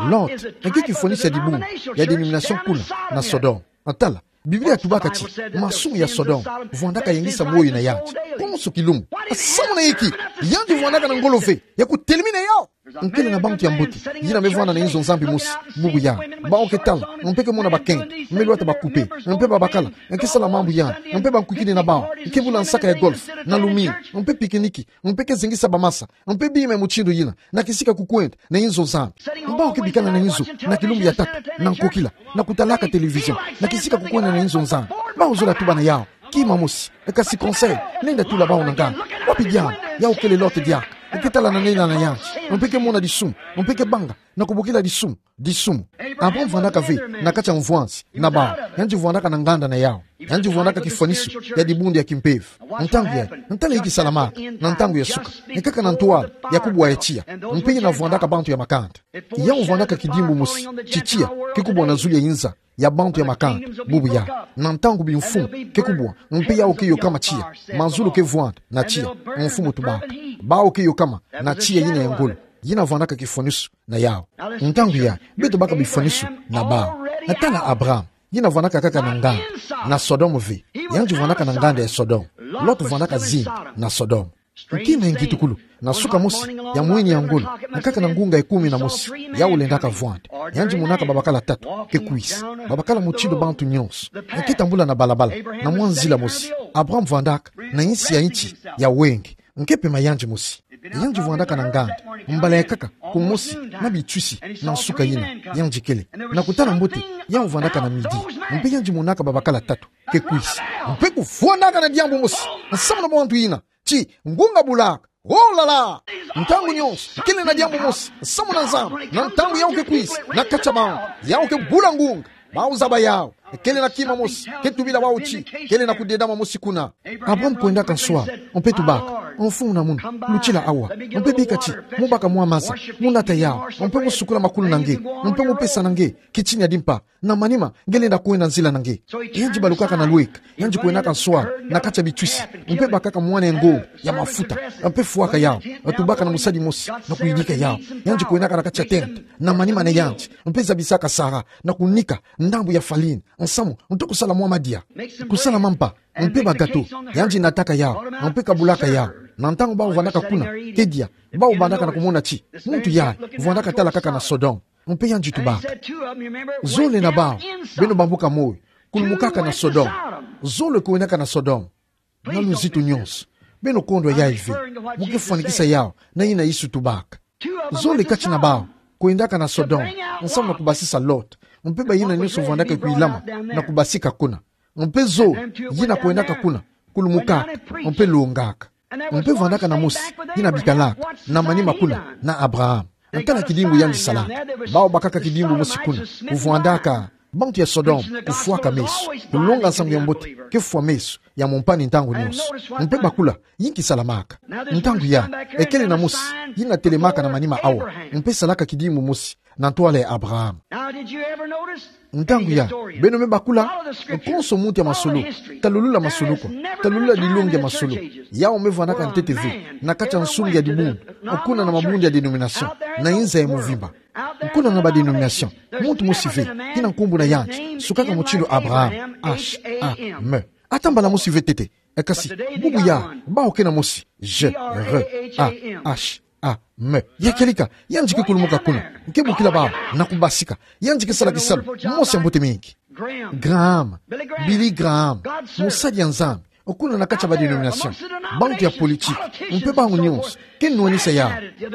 Lot ke kifwanisu ya dibundu ya dénomination kuna na Sodome. Tala, Biblia tubaka ti masumu ya Sodome vwandaka yengisa moyo na yandi konso kilumbu. Samu na inki? Yandi vwandaka na ngolo ve ya kutelemina yawu. Nkele na bantu ya mbote yina me vwanda na inzo Nzambi mosi bubu yai. Bawu ke tala, mpe ke mona bakenge me lwata bakupe, mpe babakala, ke sala mambu yandi, mpe bankwikidi na bawu ke bula nsaka ya golf na lumingu, mpe pique-nique, mpe ke zengisa bamasa, mpe bima ya mutindu yina, na kisika kukwenda na inzo Nzambi. Bawu ke bikana na inzo na kilumbu ya tatu na nkokila, na kutalaka télévision, na kisika kukwenda na inzo Nzambi. Bawu zola tuba na yawu: Kima mosi. Kasi conseil, lenda tula bawu na nganga. Wapi diambu? Yawu kele Lot diaka. Ke tala na nina na yandi, mpe ke mona disumu, mpe ke banga na kubokila disumu, disumu. Abraham vandaka ve na kati ya mvwanzi na bawu. Yandi vwandaka na nganda na yawu. Yandi vwandaka kifwanisu ya dibundu ya kimpeve. Ntangu yayi, tala inki salamaka na ntangu ya suka. Kaka na ntwala ya kubwa ya tiya, mpe yina vwandaka bantu ya makanda. Yawu vwandaka kidimbu mosi ti tiya ke kubwa na zulu ya inza ya bantu ya makanda bubu yai. Na ntangu bimfumu ke kubwa, mpe yawu ke yokama tiya, mazulu ke vwanda na tiya. Mfumu tubaka, bawu ke yokama na tiya yina ya ngolo, yina vwandaka kifwanisu na yawu. Ntangu yayi, beto baka bifwanisu na bawu. Tala Abraham, yina vwandaka kaka na nganda na Sodome ve. Yandi vwandaka na nganda ya Sodome. Lot vwandaka zingu na Sodome. Nki na nkitukulu, na suka mosi ya mwini ya ngolo, kaka na ngunga ya kumi na mosi, yawu lendaka vwanda, yandi monaka babakala tatu ke kwisa. Babakala mutindu bantu nyonso ke tambula na balabala, na mwa nzila mosi. Abraham vwandaka na insi ya inti ya wenge, ke pema yandi mosi. Yandi vwandaka na nganda, mbala ya nkaka kumosi na bitwisi na nsuka yina yandi kele. Na kutala mbote, yawu vwandaka na midi, mpe yandi monaka babakala tatu ke kwisa. Mpe kuvwandaka na diambu mosi nsamu na bantu yina, ti ngunga bulaka. Oh là là! Ntangu nyonso kele na diambu mosi nsamu na Nzambi. Na ntangu yawu ke kwisa na kati ya bawu, yawu ke bula ngunga. Bawu zaba yawu. Kele na kima mosi ke tubila bawu ti kele na kudedama mosi kuna. Abraham kwendaka nswala, mpe tubaka: Mfumu na munu, lutila awa. Mpe bika ti, mu baka mwa maza, mu nata yau, mpe mu sukula makulu na nge, mpe mu pesa na nge kitini ya dimpa, na manima nge lenda kwenda nzila na nge. Yandi balukaka na lweka, yandi kwendaka nswala na kati ya bitwisi, mpe bakaka mwana ya ngongo ya mafuta, mpe fwaka yau, tubaka na musadi mosi na kuyidika yau. Yandi kwendaka na kati ya tente, na manima na yandi, mpe zabisaka Sara na kunika ndambu ya farine, nsamu nto kusala mwa madia, kusala mampa, mpe bagato. Yandi nataka yau, mpe kabulaka yau. Na ntangu bau vandaka kuna, kedia, bau bandaka na kumona ti muntu yayi vandaka tala kaka na Sodome. Mpe yandi tubaka: Zole na bau, beno bambuka moyo, kulumukaka na Sodome. Zole kwendaka na Sodome. Na luzitu nyonso, beno kondwa yayi ve, mu ke fwanikisa yau na yina Yesu tubaka. Zole kati na bau kwendaka na Sodome, nsamu na kubasisa Lot, mpe bayina nyonso vandaka kwilama na kubasika kuna. Mpe zole yina kwendaka kuna, kulumukaka, mpe longaka. Mpe vandaka na mosi yina bikalaka na manima kuna na Abraham. Tala kidimbu yandi salaka. Bau bakaka kidimbu mosi kuna, kuvwandaka bantu ya Sodome kufwaka meso, kulonga nsangu ya mbote ke fwa meso ya mompani ntangu nyonso. Mpe bakula yinki salamaka. Ntangu yayi, ekele na mosi yina telemaka na manima awa, mpe salaka kidimbu mosi na ntwala ya Abraham. Ntangu yayi, beno me bakula, konso muntu ya masolo, talulula masolo kwa, talulula dilongi ya masolo, yau me vandaka ntete ve na kati ya nsungi ya dibundu, kuna na mabundu ya dénomination, na inza ya mvimba. Kuna na ba dénomination, muntu mosi ve, yina nkumbu na yandi sukaka mutindu Abraham, H A M. Ata mbala mosi ve ntete. Kasi bubu yayi, bau ke na mosi, G R A H A M. Ya kieleka, yandi ke kulumuka kuna, ke bokila bau na kubasika. Yandi ke sala kisalu mosi ya mbote mingi. Graham, Billy Graham, mosadi ya Nzambi, kuna na kati ya ba dénomination, bantu ya politiki, mpe bangu nyonso ke nwanisa yau.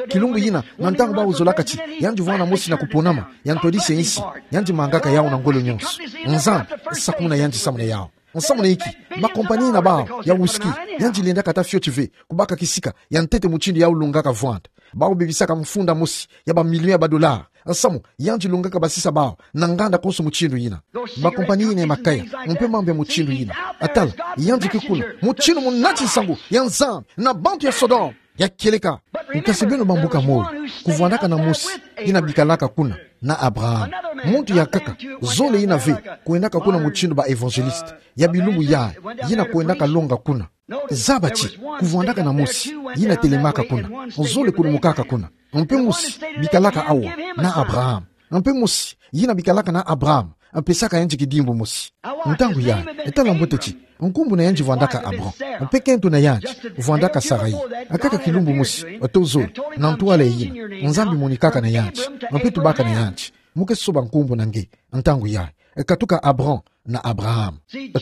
Kilumbu yina, na ntangu bau zolaka ti yandi vwanda mosi na kuponama ya ntwadisi ya insi, yandi mangaka yau na ngolo nyonso. Nzambi sakumuna yandi samu na yau. Nsamu na inki? Ba compagnie na bau ya whisky, yandi lendaka ata fioti ve kubaka kisika ya ntete mutindu yau longaka vwanda. Bau bebisaka mfunda mosi ya ba million ya ba dollar, nsamu yandi longaka basisa bau na nganda konso mutindu yina. Ba compagnie yina ya makaya, mpe mambu ya mutindu yina. Tala, yandi ke kuna mutindu munati nsangu ya Nzambi na bantu ya Sodome. Ya kieleka. Kasi beno bambuka moyo, kuvwandaka na mosi yina bikalaka kuna na Abraham. Muntu ya nkaka, zole yina ve, kwendaka kuna mutindu ba évangéliste ya bilumbu yayi, yina kwendaka longa kuna. Zaba ti kuvwandaka na mosi yina telemaka kuna, zole kulumukaka kuna. Mpe mosi bikalaka awa na Abraham. Mpe mosi yina bikalaka na Abraham, mpe saka yandi kidimbu mosi. Ntangu yayi, tala mbote ti nkumbu na yandi vwandaka Abram. Mpe kento na yandi vwandaka Sarai. Kaka kilumbu mosi, to zole, na ntwala yina, Nzambi monikaka na yandi, mpe tubaka na yandi: Mu ke soba nkumbu na nge. Ntangu yayi, katuka Abram na Abraham.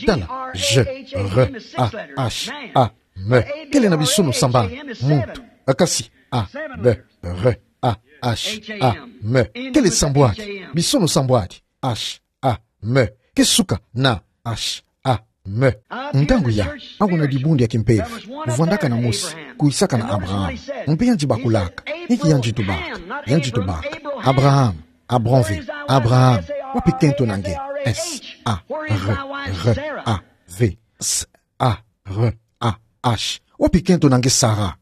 Tala, G R A H A M. Kele na bisono sambanu, muntu. Kasi A B R A H A M. Kele sambwadi, bisono sambwadi, H A M. Ke suka na H A M. Ntangu yayi, awu na dibundu ya kimpeve, vwandaka na mosi, kwisaka na Abraham. Mpe yandi bakulaka, inki yandi tubaka? Yandi tubaka: Abraham, Abram ve, Abraham, wapi kento na nge? S A R R A V, S A R A H. Wapi kento na nge Sara?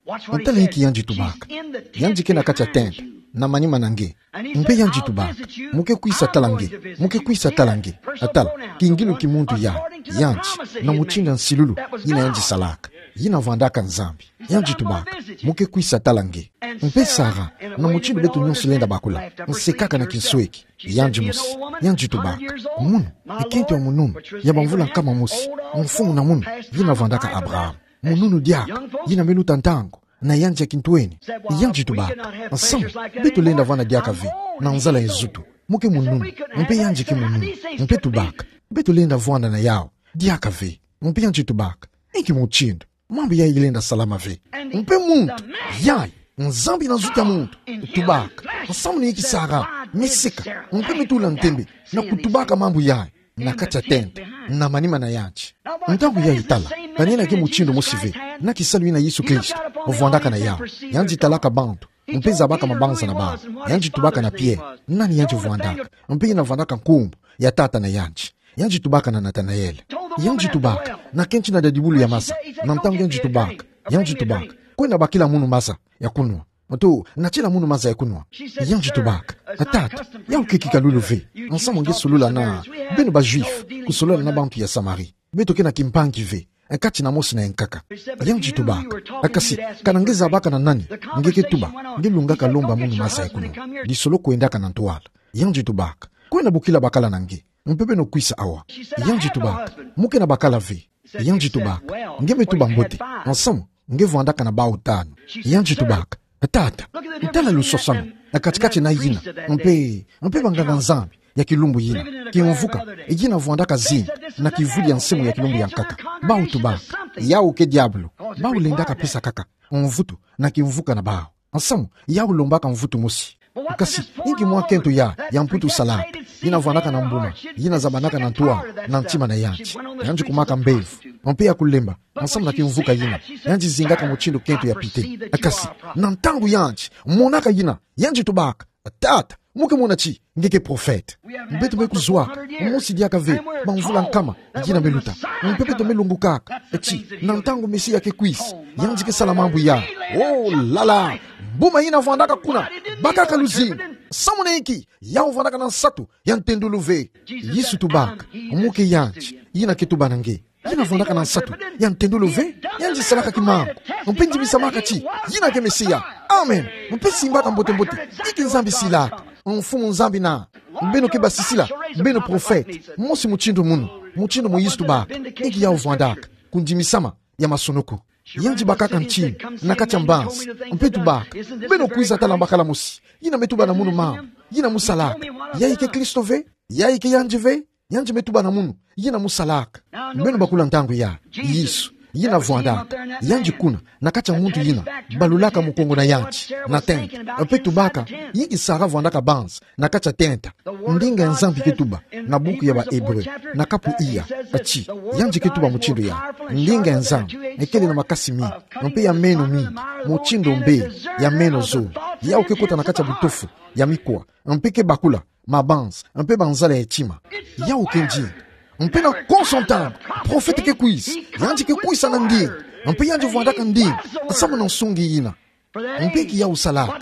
Tala inki yandi tubaka. Yandi ke na kati ya tente, na manima na nge. Mpe yandi tubaka: Mu ke kwisa tala nge, mu ke kwisa tala nge. Tala, kingilu ki muntu yayi, yandi, na mutindu ya nsilulu yina yandi salaka, yina vwandaka Nzambi. Yandi tubaka: Mu ke kwisa tala nge. Mpe Sara, na mutindu beto nyonso lenda bakula, nsekaka na kinsweki. Yandi mosi, yandi tubaka: Munu, e kento ya mununu, ya bamvula nkama mosi, mfumu na munu, yina vwandaka Abraham. Mununu diaka, yina me luta ntangu na yandi ya kintwenia. Yandi tubaka: Nsamu, beto lenda vwanda diaka ve na nzala ya nzutu. Mu ke mununu, mpe yandi ke mununu. Mpe tubaka: Beto lenda vwanda na yau diaka ve. Mpe yandi tubaka: Inki mutindu mambu yayi ilenda salama ve? Mpe muntu yayi, Nzambi na nzutu ya muntu, tubaka: Nsamu na inki Sara me seka, mpe me tula ntembe na kutubaka mambu yayi na kati ya tente, na manima na yandi? Ntangu yayi tala, kanina ke mutindu mosi ve na kisalu yina Yesu Kristo vwandaka na yau. Yandi talaka bantu, mpe zabaka mabanza na bau. Yandi tubaka na Pierre, nani yandi vwandaka, mpe yina vwandaka nkumbu ya tata na yandi. Yandi tubaka na Nathanael. Yandi tubaka na kento na dadibulu ya masa, na ntangu yandi tubaka, yandi tubaka: Kwenda bakila munu maza ya kunwa. Oto, natiela munu maza ya kunwa. Yandi tubaka: Tata, yau ke kikalulu ve. Nsamu nge solula na beno ba Juifs kusolola na bantu ya Samarie. Beto ke na kimpangi ve, kati na mosi na yankaka. Yandi tubaka: Kasi, kana nge zabaka na nani, nge ke tuba, nge lungaka lomba munu maza ya kunwa. Lisolo kwendaka na ntwala. Yandi tubaka: Kwenda bokila bakala na nge, mpe beno kwisa awa. Yandi tubaka: Mo ke na bakala ve. Yandi tubaka: Nge me tuba mbote, nsamu nge vwandaka na bau tanu. Yandi tubaka: Tata, tala lusosanu na kati-kati na yina mpe, mpe banganga-Nzambi ya kilumbu yina. Kimvuka yina vwandaka zinga na kivuli ya nsimu ya kilumbu ya nkaka. Bau tubaka: Yau ke diabulu. Bau lendaka pesa kaka mvutu na kimvuka na bau. Nsamu yau lombaka mvutu mosi. Kasi inki mwa kento ya, ya mputu salaka? Yina vwandaka na mbuma, yina zabanaka na ntwala na ntima na yandi. Yandi kumaka mbevo, mpe ya kulemba, nsamu na kimvuka yina, yandi zingaka mutindu kento ya pite. Kasi na ntangu yandi monaka yina, yandi tubaka: Tata, mo ke mona ti nge ke profete. Beto me kuzwaka, mosi diaka ve, bamvula nkama yina me luta. Mpe beto me lungukaka ti na ntangu Mesia ke kwisa, yandi ke sala mambu ya. Oh là là! Mbuma yina vwandaka kuna bakaka luzingu. Samu na inki? Yau vwandaka na nsatu ya ntendulu ve. Yesu tubaka: Mo ke yandi yina ke tuba na nge. Yina vwandaka na nsatu ya ntendulu ve, yandi salaka kimangu, mpe ndimisamaka ti yina ke Mesia. Amen. Mpe simbaka mbote-mbote inki Nzambi silaka. Mfumu Nzambi na: Beno ke basisila, beno profete, mosi mutindu munu, mutindu Moïse tubaka. Inki yau vwandaka? Kundimisama ya masunuku. Yandi bakaka ntinu na kati ya mbanzi, mpe tubaka: Beno kwiza tala mbakala mosi yina me tuba na munu mambu yina mo salaka. Yayi ke Kristo ve? Yayi ke yandi ve? Yandi me tuba na munu yina mo salaka. Beno bakula ntangu ya Yesu, yina vwandaka, yandi kuna na kati ya muntu yina balulaka mukongo na yandi na tenta, mpe tubaka: Inki Sara vwandaka banza na kati ya tenta? Ndinga ya Nzambi ke tuba na buku ya ba Hébreux, na kapu iya, ti yandi ke tuba mutindu ya: Ndinga ya Nzambi ekele na makasi mingi, mpe ya meno mingi, mutindu mbeli ya meno zole. Yau ke kota na kati ya butofu ya mikwa, mpe ke bakula mabanza mpe banzala ya tima. Yau ke ndinga. Mpe na konso ntangu, profete ke kwisa, yandi ke kwisa na ndinga, mpe yandi vwandaka ndinga samu na nsungi yina. Mpe inki yau salaka?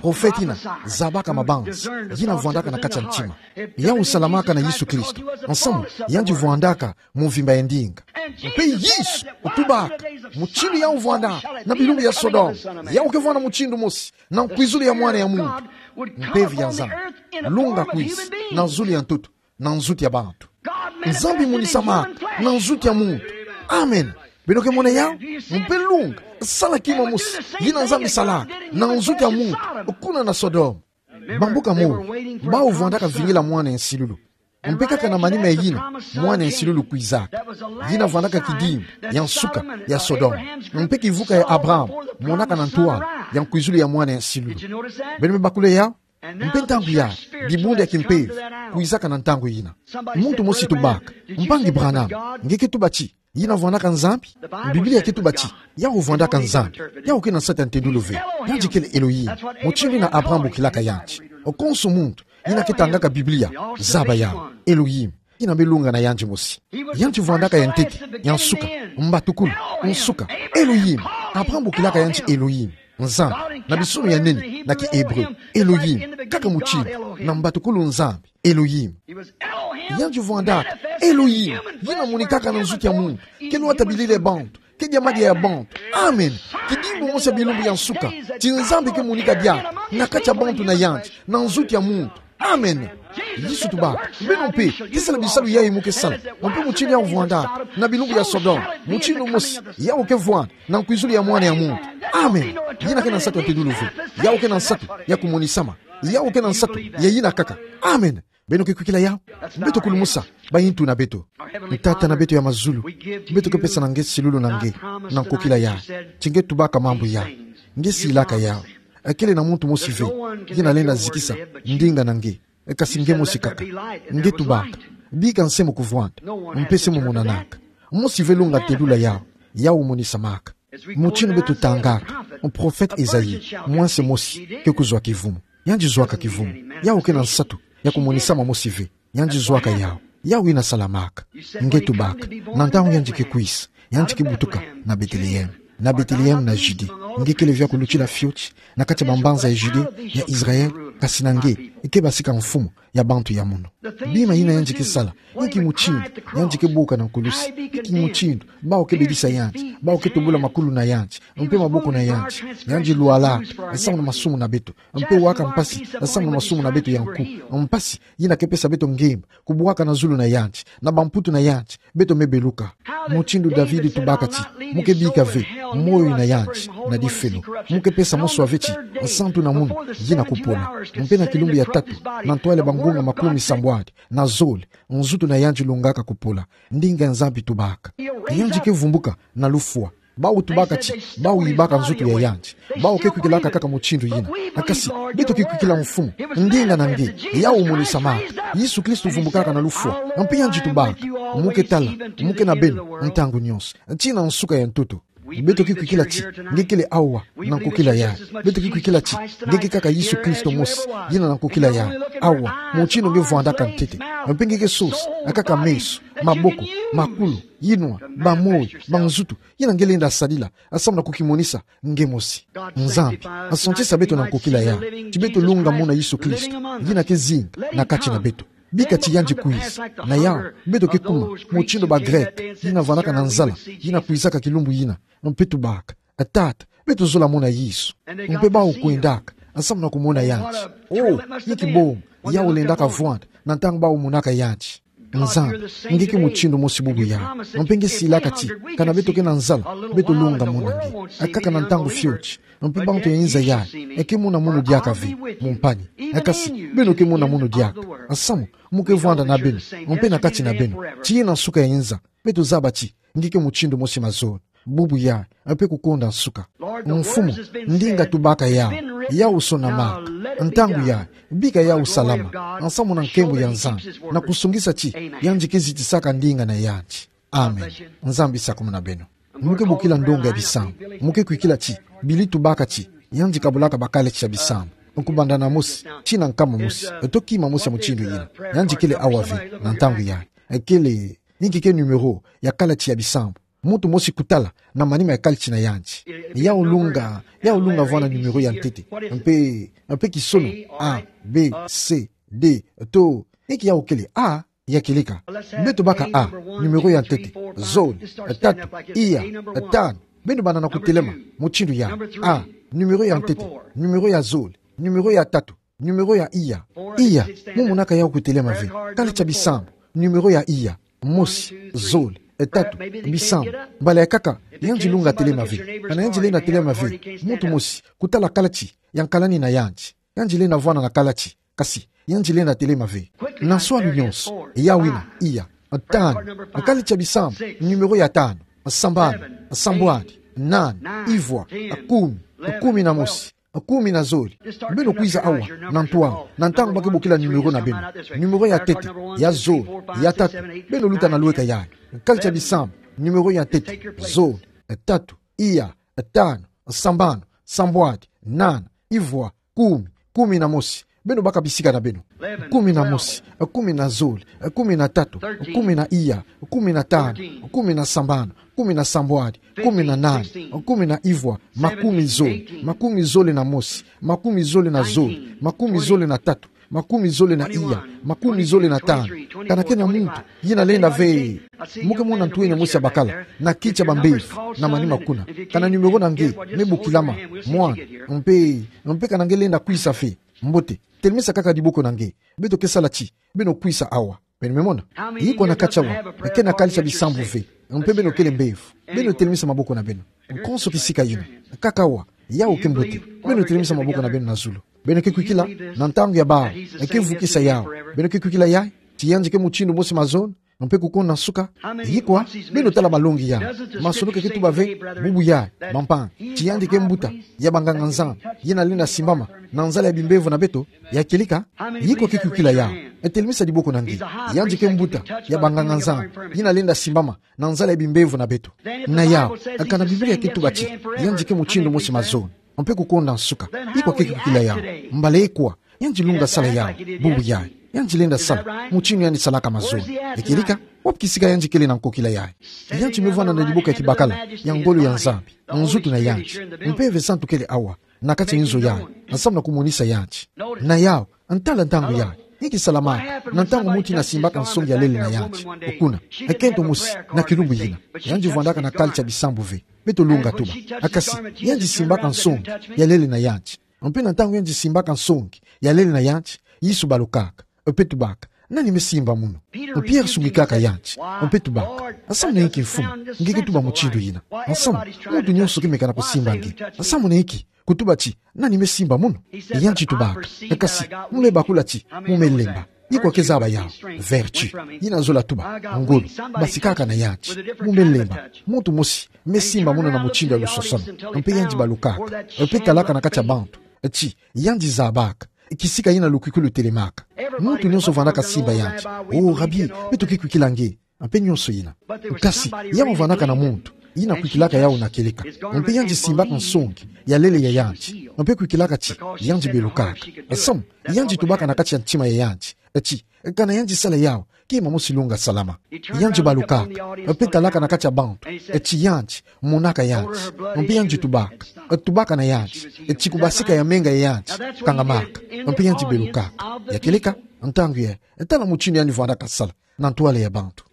Profete yina zabaka mabanza yina vwandaka na kati ya ntima. Yau salamaka na Yesu Kristo, nsamu yandi vwandaka mvimba ya ndinga. Mpe Yesu tubaka: Mutindu yau vwandaka na bilumbu ya Sodome, yau ke vwanda mutindu mosi na nkwizulu ya Mwana ya muntu. Mpeve ya Nzambi lunga kwisa na zulu ya ntoto, na nzutu ya bantu. Nzambi monisamaka na nzutu ya muntu. Amen. Beno ke mona yau? Mpe lunga sala kima mosi yina Nzambi salaka na nzutu ya muntu kuna na Sodome. Bambuka mole, bau vwandaka vingila mwana ya nsilulu. Mpe kaka na manima ya yina, mwana ya nsilulu kwizaka. Yina vwandaka kidimbu ya nsuka ya Sodome. Mpe kivuka ya Abraham monaka na ntwala ya nkwizulu ya mwana ya nsilulu. Beno me bakula yau? Mpe ntangu ya dibundu ya kimpeve kwizaka na ntangu yina. Muntu mosi tubaka: Mpangi Branham, nge ke tuba ti yina vwandaka Nzambi? Biblia ke tuba ti yau vwandaka Nzambi. Yau ke na nsatu ya ntendulu ve. Yandi kele Elohim. Mutindu yina Abraham bokilaka yandi. Konso muntu yina ke tangaka Biblia, zaba yau. Elohim. Yina me lunga na yandi mosi. Yandi vwandaka ya ntete, ya nsuka, mbatukulu, nsuka. Elohim. Abraham bokilaka yandi Elohim, Nzambi, na bisunu ya nene na ki-Hébreu. Elohim, kaka mutindu, na mbatukulu Nzambi. Elohim. Yandi vwandaka Elohim, yina monikaka na nzutu ya muntu, ke lwata bilili ya bantu, ke diambu ya bantu. Amen. Kidimbu mosi ya bilumbu ya nsuka ti Nzambi ke monika diaka na kati ya bantu na yandi, na nzutu ya muntu. Amen. Yesu tubaka: Beno mpe ke sala bisalu yayi mo ke sala. Mpe mutindu yau vwandaka na bilumbu ya Sodome, mutindu mosi yau ke vwanda na nkwizulu ya Mwana ya muntu. Amen. Yina ke na nsatu ya ntendulu ve. Yau ke na nsatu ya kumonisama. Yau ke na nsatu ya yina kaka. Amen. Beno ke kwikila yau? Beto kulumusa bayintu na beto. Tata na beto ya mazulu, beto ke pesa na nge silulu na nge, na nkokila ya ti nge tubaka mambu ya. Nge silaka yau. Kele na muntu mosi ve yina lenda zikisa ndinga na nge, kasi nge mosi kaka. Nge tubaka: Bika nge se mo kuvwanda, mpe se mo monanaka. Mosi ve lunga tendula yau, yau monisamaka. Mutindu beto tangaka, profete Esaïe, mwanse mosi ke kuzwa kivumu. Yandi zwaka kivumu. Yau ke na nsatu ya kumonisama mosi ve. Yandi zwaka yau. Yau yina salamaka. Nge tubaka: Na ntangu yandi ke kwisa, yandi ke butuka na Bethléem, na Bethléem na Judée. Nge kele via kulutila fioti na kati ya bambanza ya Judée, ya Israël, kasi na nge, i kebasika mfumu ya bantu ya munu. Bima yina yandi kesala, inki mutindu yandi kebuka na nkulusi, inki mutindu bawu kebebisa yandi, bawu ketubula makulu na yandi, mpe maboko na yandi, yandi lwalaka, samu na masumu na beto, mpe waka mpasi, samu na masumu na beto ya nku, mpasi yina kepesa beto ngemba, kubwaka na zulu na yandi, na bamputu na yandi, beto me beluka. Mutindu David tubaka ti, mu kebika ve moyo na yandi na difelo, mu kepesa moswa ve ti, nsantu na munu yina kupola. Mpe na kilumbu ya tatu, na ntwala bangunga makumi sambwadi na zole, nzutu na yandi lungaka kupola, ndinga Nzambi tubaka. Yandi kevumbuka na lufwa. Bawu tubaka ti, bawu yibaka nzutu ya yandi. Bawu kekwikilaka kaka mutindu yina. Kasi, beto kekwikila mfumu, ndinga na nge, yawu monisamaka. Yesu Kristo vumbukaka na lufwa. Mpe yandi tubaka, mu ketala, mu ke na beno ntangu nyonso, tii na nsuka ya ntoto. Beto kekwikila ti, nge kele awa na nkokila yayi. Beto kekwikila ti, nge ke kaka Yesu Kristo mosi, yina na nkokila yayi. Awa, mutindu nge vwandaka ntete. Mpe nge kesosa kaka meso, maboko, makulu, yinwa, bamoyo, banzutu, yina nge lenda sadila, samu na kukimonisa nge mosi. Nzambi asantisa beto na nkokila yayi, ti beto lunga muna Yesu Kristo, yina kezinga na kati na beto. Bika ti yandi kwiza, na yawu, beto kekuma mutindu ba Grec yina vwandaka na nzala, yina kwizaka kilumbu yina, mpe tubaka: Tata, beto zola mona Yesu. Mpe bawu kwendaka samu na kumona yandi. Oh, inki bonga yawu lendaka vwanda na ntangu bawu monaka yandi. Nzambi, nge ke mutindu mosi bubu yayi. Mpe nge silaka ti, kana beto ke na nzala, beto lunga mona nge. Kaka na ntangu fioti, mpe bantu ya inza yayi ke mona munu diaka ve, mu mpani. Kasi, beno ke mona munu diaka. Samu, mu ke vwanda na beno, mpe na kati na beno. Tii na nsuka ya inza, beto zaba ti, nge ke mutindu mosi mazono, bubu yayi, mpe kukonda nsuka. Mfumu, ndinga tubaka yawu, yawu sonamaka. Ntangu yayi, bika yawu salama, samu na nkembo ya Nzambi, na kusongisa ti, yandi kezitisaka ndinga na yandi. Amen. Nzambi sakumuna beno. Mu ke bokila ndonga ya bisambu, mu ke kwikila ti, Billy tubaka ti, yandi kabulaka bakalendi ya bisambu, kubanda na mosi tii na nkama mosi, to kima mosi ya mutindu yina. Yandi kele awa ve, na ntangu yayi. Kele, inki ke numéro ya kalendi ya bisambu? Muntu mosi kutala na manima ya kalendi na yandi. Yawu lunga, yawu lunga vwanda numéro ya ntete. Mpe, mpe kisono, A, B, C, D, to, inki yawu kele A, ya kieleka. Beto baka A, numéro ya ntete, zole, tatu, iya, tanu. Beno banda na kutelema mutindu yayi. A, numéro ya ntete, numéro ya zole, numéro ya tatu, numéro ya iya. Iya, mu monaka yawu kutelema ve. Kalendi ya bisambu, numéro ya iya. Mosi, zole, tatu, bisambu. Mbala ya nkaka, yandi lunga telema ve. Kana yandi lenda telema ve, muntu mosi kutala kalendi ya nkalani na yandi. Yandi lenda vwanda na kalendi, kasi yandi lenda telema ve. Na nswalu nyonso, yawu ina, iya, tanu. Kalendi ya bisambu, numéro ya tanu. Sambanu, sambwadi, nani, ivwa, kumi, kumi na mosi, kumi na zole. Beno kwiza awa na ntwala, na ntangu ba ke bokila numéro na beno. Numéro ya ntete, ya zole, ya tatu. Beno luta na lweka yayi. Kalendi ya bisambu, numéro ya ntete, zole, tatu, iya, tanu, sambanu, sambwadi, nani, ivwa, kumi, kumi na mosi. Beno baka bisika na beno. Kumi na mosi, kumi na zole, kumi na tatu, kumi na iya, kumi na tanu, kumi na sambanu, kumi na sambwadi, kumi na nani, kumi na ivwa, makumi zole, makumi zole na mosi, makumi zole na zole, makumi zole na tatu, makumi zole na iya, makumi zole na tanu. Kana kena muntu yina lenda ve. Mu ke mona ntu yina mosi ya bakala na kiti ya bambevo na manima kuna. Kana numéro na nge me bokilama, mwana, mpe, mpe kana nge lenda kwisa ve, mbote, telemisa kaka diboko na nge. Beto ke sala ti beno kwisa awa. Beno me mona? Yikwa na kati awa ke na kalendi ya bisambu ve, mpe beno kele mbevo? Beno telemisa maboko na beno. Konso kisika yina, kaka awa, yawu ke mbote. Beno telemisa maboko na beno na zulu. Beno ke kwikila, na ntangu ya bawu ke vukisa yawu, beno ke kwikila yayi, ti yandi ke mutindu mosi mazono, mpe kukonda nsuka? Yikwa? Beno tala malongi yandi. Masolo ke ke tuba ve, bubu yayi, bampangi, ti yandi ke mbuta ya banganga-Nzambi yina lenda simbama na nzala ya bimbevo na beto? Ya kieleka? Yikwa ke kwikila yawu? Telemisa diboko na nge. Yandi ke mbuta ya banganga-Nzambi yina lenda simbama na nzala ya bimbevo na beto. Na yawu, kana Biblia ke tuba ti yandi ke mutindu mosi mazono, mpe kukonda nsuka, yikwa ke kwikila yawu? Mbala yikwa, yandi lunga sala yawu, bubu yayi. Yandi lenda sala mutindu yandi salaka mazono. Ekilika, wapi kisika yandi kele na nkokila yayi? Yandi me vwanda na liboka ya kibakala ya ngolo ya Nzambi, nzutu na yandi. Mpeve santu kele awa, na kati ya nzo yayi, nsamu na kumonisa yandi. Na yawu, ntala ntangu yayi, inki salamaka na ntangu muntu ina simbaka nsongi ya lele na yandi? Kuna, e kento mosi na kilumbu yina, yandi vwandaka na kali tia bisambu ve. Beto lunga tuba. Kasi, yandi simbaka nsongi ya lele na yandi. Mpe na ntangu yandi simbaka nsongi ya lele na yandi, Yesu balukaka, mpe tubaka: Nani me simba munu? Mpe Pierre sungikaka yandi, mpe tubaka: Nsamu na inki, Mfumu, nge ke tuba mutindu yina? Nsamu, muntu nyonso ke meka na kusimba nge. Nsamu na inki kutuba ti: Nani me simba munu? Yandi tubaka: Kasi, mu me bakula ti mu me lemba. Ikwa ke zaba yawu? Vertu. Yina zola tuba ngolo. Basikaka na yandi. Mu me lemba. Muntu mosi me simba munu na mutindu ya lusosono. Mpe yandi balukaka, mpe talaka na kati ya bantu ti yandi zabaka kisika yina lukwikulu telemaka. Muntu nyonso vwandaka simba yandi: O Rabi, beto ke kwikila nge, mpe nyonso yina. Kasi, yawu vwandaka na muntu ina kwikilaka yawu na kieleka. Mpe yandi simbaka nsongi ya lele ya yandi, mpe kwikilaka ti yandi belukaka. Nsamu, yandi tubaka na kati ya ntima ya yandi ti kana yandi sala yawu, kima mosi lunga salama. Yandi balukaka, mpe talaka na kati ya bantu ti yandi monaka yandi. Mpe yandi tubaka, tubaka na yandi ti kubasika ya menga ya yandi kangamaka. Mpe yandi belukaka. Ya kieleka, ntangu yayi, tala mutindu yandi vwandaka sala na ntwala ya bantu.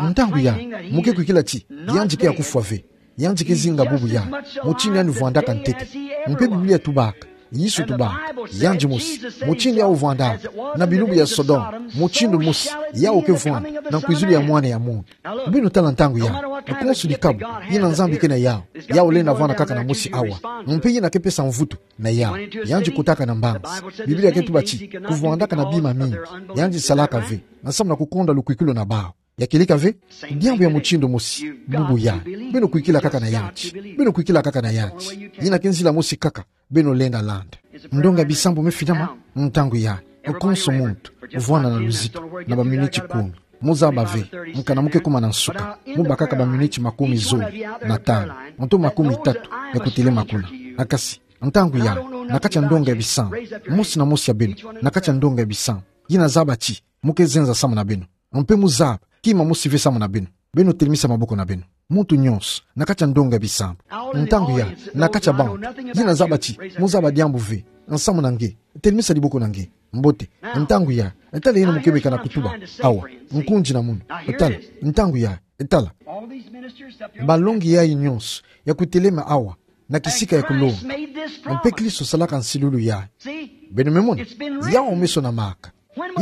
Ntangu yayi, mu ke kwikila ti yandi ke ya kufwa ve. Yandi ke zinga bubu yayi, mutindu yandi vwandaka ntete. Mpe Biblia tubaka, Yesu tubaka, yandi mosi, mutindu yawu vwandaka na bilumbu ya Sodome, mutindu mosi yawu ke vwanda na nkwizulu ya Mwana ya muntu. Beno tala ntangu yayi, konso dikabu yina Nzambi ke na yawu, yawu lenda vwanda kaka na mosi awa. Mpe yina ke pesa mvutu na yawu. Yandi kotaka na mbanzi. Biblia ke tuba ti kuvwandaka na bima mingi. Yandi salaka ve, nsamu na kukonda lukwikulu na bawu. Ya kieleka ve, diambu ya mutindu mosi bubu yayi. Beno kwikila kaka na yandi. Beno kwikila kaka na yandi. Yina ke nzila mosi kaka beno lenda landa. Ndonga ya bisambu me finama ntangu yayi. Konso muntu vwanda na luzitu na baminiti kumi. Mu zaba ve, kana mu ke kuma na nsuka, mu bakaka baminiti makumi zole na tanu, nto makumi tatu ya kutelema kuna. Kasi, ntangu yayi, na kati ya ndonga ya bisambu, mosi na mosi ya beno, na kati ya ndonga ya bisambu, yina zaba ti mu ke zenza samu na beno. Mpe mu zaba kima mosi ve samu na beno. Beno telemisa maboko na beno. Muntu nyonso, na kati ya ndonga ya bisambu. Ntangu yayi, na kati ya bantu yina zaba ti mu zaba diambu ve nsamu na nge, telemisa diboko na nge. Mbote. Ntangu yayi, tala yina mu ke meka na kutuba awa. Nkundi na munu. Tala, ntangu yayi, tala. Balongi yayi nyonso ya kutelema awa na kisika ya kulonga. Mpe Kristo salaka nsilulu yayi. Beno me mona? Yawu me sonamaka.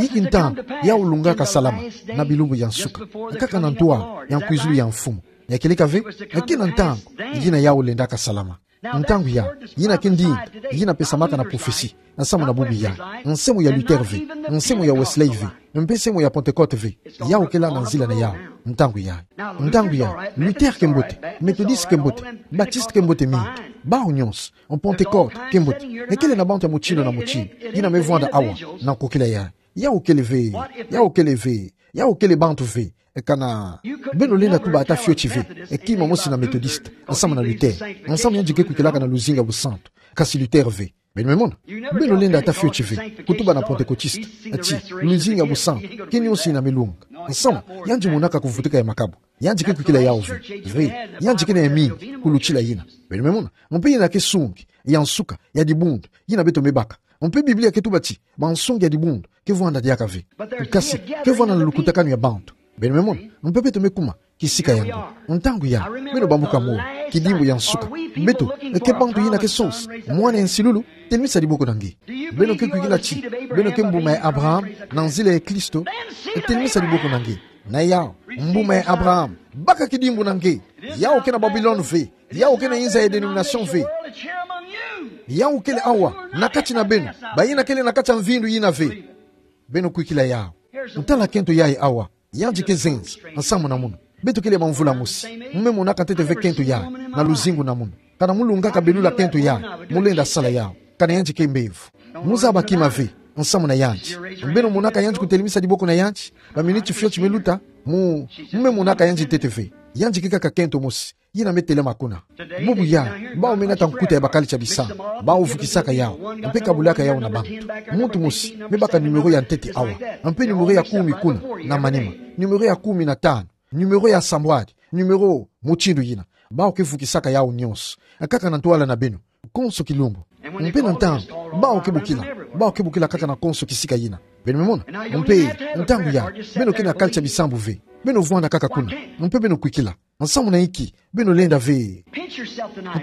Inki ntangu yawu lungaka salama na bilumbu ya nsuka? Kaka na ntwala ya nkwizulu ya Mfumu. Ya kieleka ve, ke na ntangu yina yawu lendaka salama. Ntangu yayi, yina ke ndinga yina pesamaka na prophetie nsamu na bubu yayi. Nsemo ya Luther ve, nsemo ya Wesley ve, mpe nsemo ya Pentecôte ve, yawu kele na nzila na yawu. Ntangu yayi, ntangu yayi, Luther ke mbote, Methodiste ke mbote, Baptiste ke mbote mingi, bawu nyonso, Pentecôte ke mbote. Ekele na bantu ya mutindu na mutindu yina me vwanda awa na nkokila yayi. Yawu kele ve, yawu kele ve, yawu kele bantu ve. Kana beno lenda tuba ata fioti ve, kima mosi na Methodiste nsamu na Luther, nsamu yandi ke kwikilaka na luzingu ya busantu. Kasi Luther ve. Beno me mona? Beno lenda ata fioti ve kutuba na Pentecôtiste ti luzingu ya busantu ke nyonso yina me lunga. Nsamu, yandi monaka kuvutuka ya makabu. Yandi ke kwikila yawu ve. Ve, yandi ke na ya mingi kulutila yina. Beno me mona? Mpe yina ke nsungi ya nsuka ya dibundu yina beto me baka. Mpe Biblia ke tuba ti bansongi ya dibundu ke vwanda diaka ve. Kasi ke vwanda na lukutakanu ya bantu. Beno me mona? Mpe beto me kuma kisika ya ngo. Ntangu yayi, beno bambuka molo, kidimbu ya nsuka. Beto ke bantu yina ke sonsa mwana ya nsilulu? Telemisa diboko na nge. Beno ke kwikila ti beno ke mbuma ya Abraham na nzila ya Kristo? Telemisa diboko na nge. Na yawu, mbuma ya Abraham, baka kidimbu na nge. Yawu ke na Babilone ve. Yawu ke na inza ya denomination ve. Yawu kele awa na kati na beno, bayina kele na kati ya mvindu yina ve. Beno kwikila yawu. Ntala kento yayi awa. Yandi ke zenza nsamu na munu. Beto kele bamvula mosi. Mu me monaka ntete ve kento yayi na luzingu na munu. Kana mu lungaka belula kento yayi, mu lenda sala yawu. Kana yandi ke mbevo. Mu zaba kima ve nsamu na yandi. Beno monaka yandi kutelemisa diboko na yandi baminiti fioti me luta? Mu, mu me monaka yandi ntete ve. Yandi ke kaka kento mosi yina me telama kuna. Bubu yayi, bawu me nata nkuta ya bakali tia bisambu, bawu vukisaka yawu, mpe kabulaka yawu na bantu. Muntu mosi me baka numéro ya ntete awa, mpe numéro ya kumi kuna na manima, numéro ya kumi na tanu, numéro ya sambwadi, numéro mutindu yina. Bawu ke vukisaka yawu nyonso, kaka na ntwala na beno, konso kilumbu. Mpe na ntangu bawu ke bokila, bawu ke bokila kaka na konso kisika yina. Beno me mona? Mpe ntangu yayi, beno ke na kali tia bisambu ve. Beno vwanda kaka kuna, mpe beno kwikila. Nsamu na inki beno lenda ve?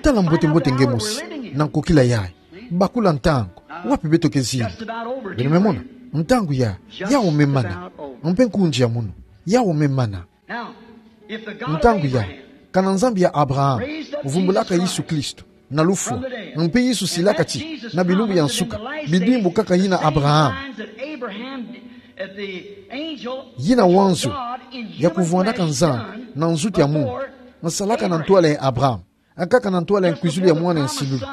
Tala mbote-mbote nge mosi na nkokila yayi. Bakula ntangu, wapi beto ke zinga? Beno me mona? Ntangu yayi, yawu me mana. Mpe nkunzi ya munu, yawu me mana. Ntangu yayi, kana Nzambi ya Abraham vumbulaka Yesu Kristo na lufwa, mpe Yesu silaka ti na bilumbu ya nsuka, bidimbu kaka yina Abraham, yina wanzo ya kuvwandaka Nzambi na nzutu ya munu, nsalaka na ntwala ya Abraham, kaka na ntwala ya nkwizulu ya mwana ya nsilulu.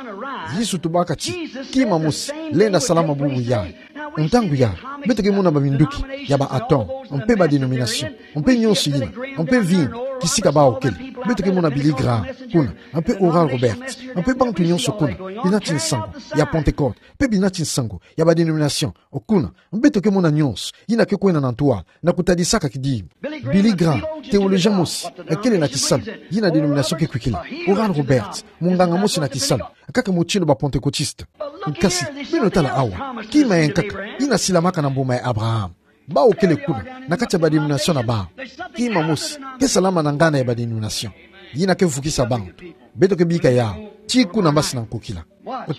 Yesu tubaka ti kima mosi lenda salama bubu yayi. Ntangu yayi, beto ke mona baminduki ya ba atome, mpe ba dénomination, mpe nyonso yina, mpe vingi kisika bawu kele. Beto ke mona Billy Graham kuna, mpe Oral Roberts, mpe bantu nyonso kuna, binati nsangu ya Pentecôte, mpe binati nsangu ya ba dénomination kuna. Beto ke mona nyonso yina ke kwenda na ntwala na kutadisaka kidimbu. Billy Graham, théologien mosi kele na kisalu yina dénomination ke kwikila. Oral Roberts, munganga mosi na kisalu, kaka mutindu ba Pentecôtiste. Kasi beno tala awa, kima ya nkaka yina silamaka na mbuma ya Abraham. Bawu kele kuna na kati ya ba dénomination na bawu. Kima mosi ke salama na nganda ya ba dénomination yina ke vukisa bantu. Beto ke bika yawu tii kuna mbasi na nkokila.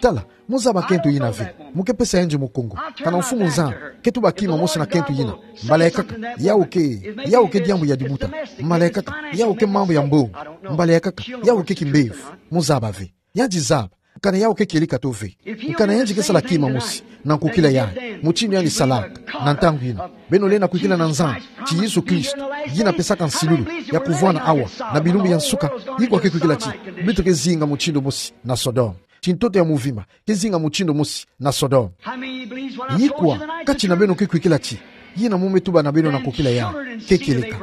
Tala, muzaba kento yina ve. Mu ke pesa yandi mukungu. Kana Mfumu Nzambi ke tuba kima mosi na kento yina, mbala ya nkaka yawu ke, yawu ke diambu ya dibuta. Mbala ya nkaka yawu ke mambu ya mbongo. Mbala ya nkaka yawu ke kimbevo. Muzaba ve. Yandi zaba kana yawu ke kieleka to ve. Kana yandi ke sala kima mosi na nkokila yayi, mutindu yandi salaka na ntangu yina, beno lenda kwikila na Nzambi ti Yesu Kristo yina pesaka nsilulu ya kuvwanda awa na bilumbu ya nsuka. Ikwa ke kwikila ti beto ke zinga mutindu mosi na Sodome, ti ntoto ya muvimba ke zinga mutindu mosi na Sodome. Ikwa kati na beno ke kwikila ti yina mu me tuba na beno na nkokila yayi ke kieleka?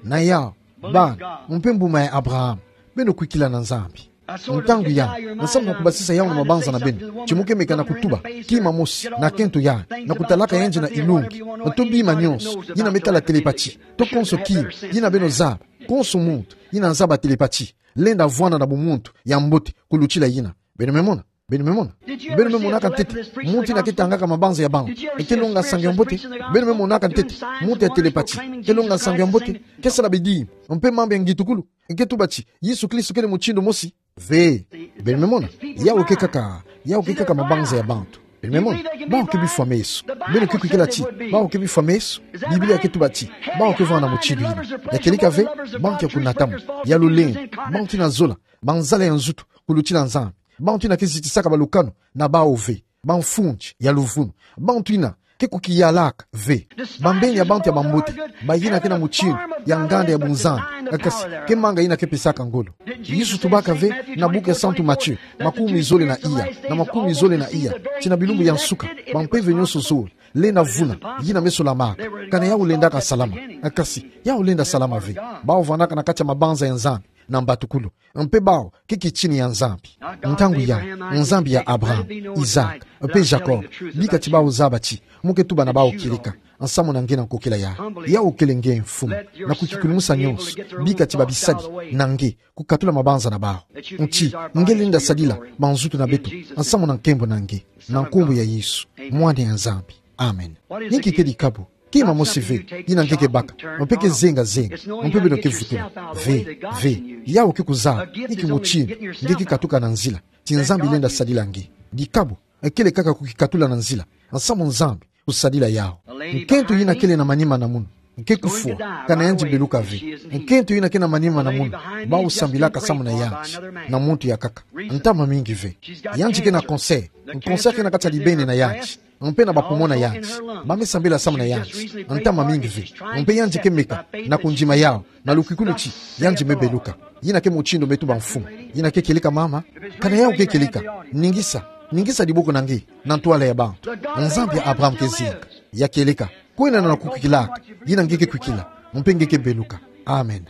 Na yawu, bana, mpe mbuma ya Abraham, beno kwikila na Nzambi. Ntangu yayi, nsamu na kubasisa yawu na mabanza na beno ti mu ke meka na kutuba kima mosi na kento yayi, na kutalaka yandi na ilungi, to bima nyonso yina me tala télépathie, to konso kima yina beno zaba. Konso muntu yina zaba télépathie lenda vwanda na bumuntu ya mbote kulutila yina. Beno me mona? Beno me mona? Beno me monaka ntete muntu yina ke tangaka mabanza ya bantu e ke longa nsangu ya mbote? Beno me monaka ntete muntu ya télépathie ke longa nsangu ya mbote, ke sala bidimbu, mpe mambu ya ngitukulu, e ke tuba ti Yesu Kristo kele mutindu mosi? Ve. Beno me mona? Yawu ke kaka, yawu ke kaka mabanza ya bantu. Beno me mona? Bawu ke bifwa meso. Beno ke kwikila ti bawu ke bifwa meso? Biblia ke tuba ti bawu ke vwanda mutindu yina. Ya kieleka ve? Bantu ya kunatamu, ya lulendo, bantu yina zola, banzala ya nzutu kulutila Nzambi, bantu yina ke zitisaka balukanu na bawu ve, bamfundi ya luvunu, bantu yina ke kukiyalaka ve, bambeni ya bantu ya bambote, bayina ke na mutindu ya nganda ya bunzambi, kasi ke manga yina ke pesaka ngolo. Yesu tubaka ve na buku ya Santu Matthieu, makumi zole na iya, na makumi zole na iya, ti na bilumbu ya nsuka, bampeve nyonso zole lenda vuna yina me solamaka. Kana yawu lendaka salama? Kasi yawu lenda salama ve. Bawu vwandaka na kati ya mabanza ya Nzambi na mbatukulu, mpe bawu ke kitini ya Nzambi. Ntangu yayi, Nzambi ya Abraham, Isaac, mpe Jacob, bika ti bawu zaba ti mu ke tuba na bawu kieleka nsamu na nge na nkokila yayi. Yawu kele nge mfumu, na kukikulumusa nyonso, bika ti babisadi na nge kukatula mabanza na bawu. Nti nge lenda sadila banzutu na beto nsamu na nkembo na nge, na nkumbu ya Yesu, Mwana ya Nzambi. Amen. Inki ke dikabu? Kima mosi ve yina nge ke baka, mpe ke zenga zenga, mpe beno ke vutula. Ve, ve. Yawu ke kuzaba inki mutindu nge ke katuka na nzila ti Nzambi lenda sadila nge. Dikabu kele kaka kukikatula na nzila nsamu Nzambi kusadila yawu. Nkento yina kele na manima na munu ke kufwa, kana yandi beluka ve. Nkento yina ke na manima na munu, bawu sambilaka samu na yandi na muntu ya nkaka. Ntama mingi ve. Yandi ke na cancer. Cancer ke na kati ya libeni na yandi, mpe na ba poumon na yandi. Ba me sambila samu na yandi ntama mingi ve. Mpe yandi ke meka na kundima yawu na lukwikulu ti yandi me beluka. Yina ke mutindu me tuba mfumu. Yina ke kieleka mama? Kana yawu ke kieleka? Ningisa, ningisa diboko na nge na ntwala ya bantu. Nzambi ya Abraham ke zinga. Ya kieleka. Kwenda na kukwikilaka yina nge ke kwikila, mpe nge ke beluka. Amen.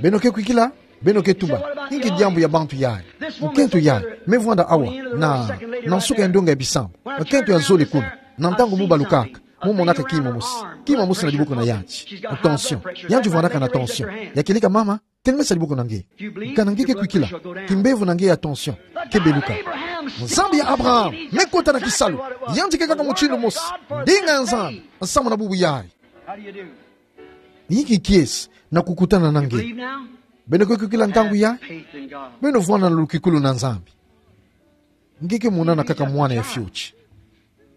Beno ke kwikila, beno ke tuba, inki diambu ya bantu yayi. Nkento yayi me vwanda awa na, na nsuka ya ndonga ya bisambu. Nkento ya zole kuna, na ntangu mu balukaka, mu monaka kima mosi, kima mosi na diboko na yanti. Tension. Yanti vwandaka na tension. Ya kieleka mama, telemisa diboko na nge. Kana nge ke kwikila, kimbevo na nge ya tension ke beluka. Nzambi ya Abraham me kota na kisalu. Yanti ke kaka mutindu mosi, ndinga ya Nzambi nsamu na bubu yayi. Inki kiese na kukutana na nge? Beno ke kwikila ntangu yayi? Beno vwanda na lukikulu na Nzambi. Nge ke monana kaka mwana ya fioti.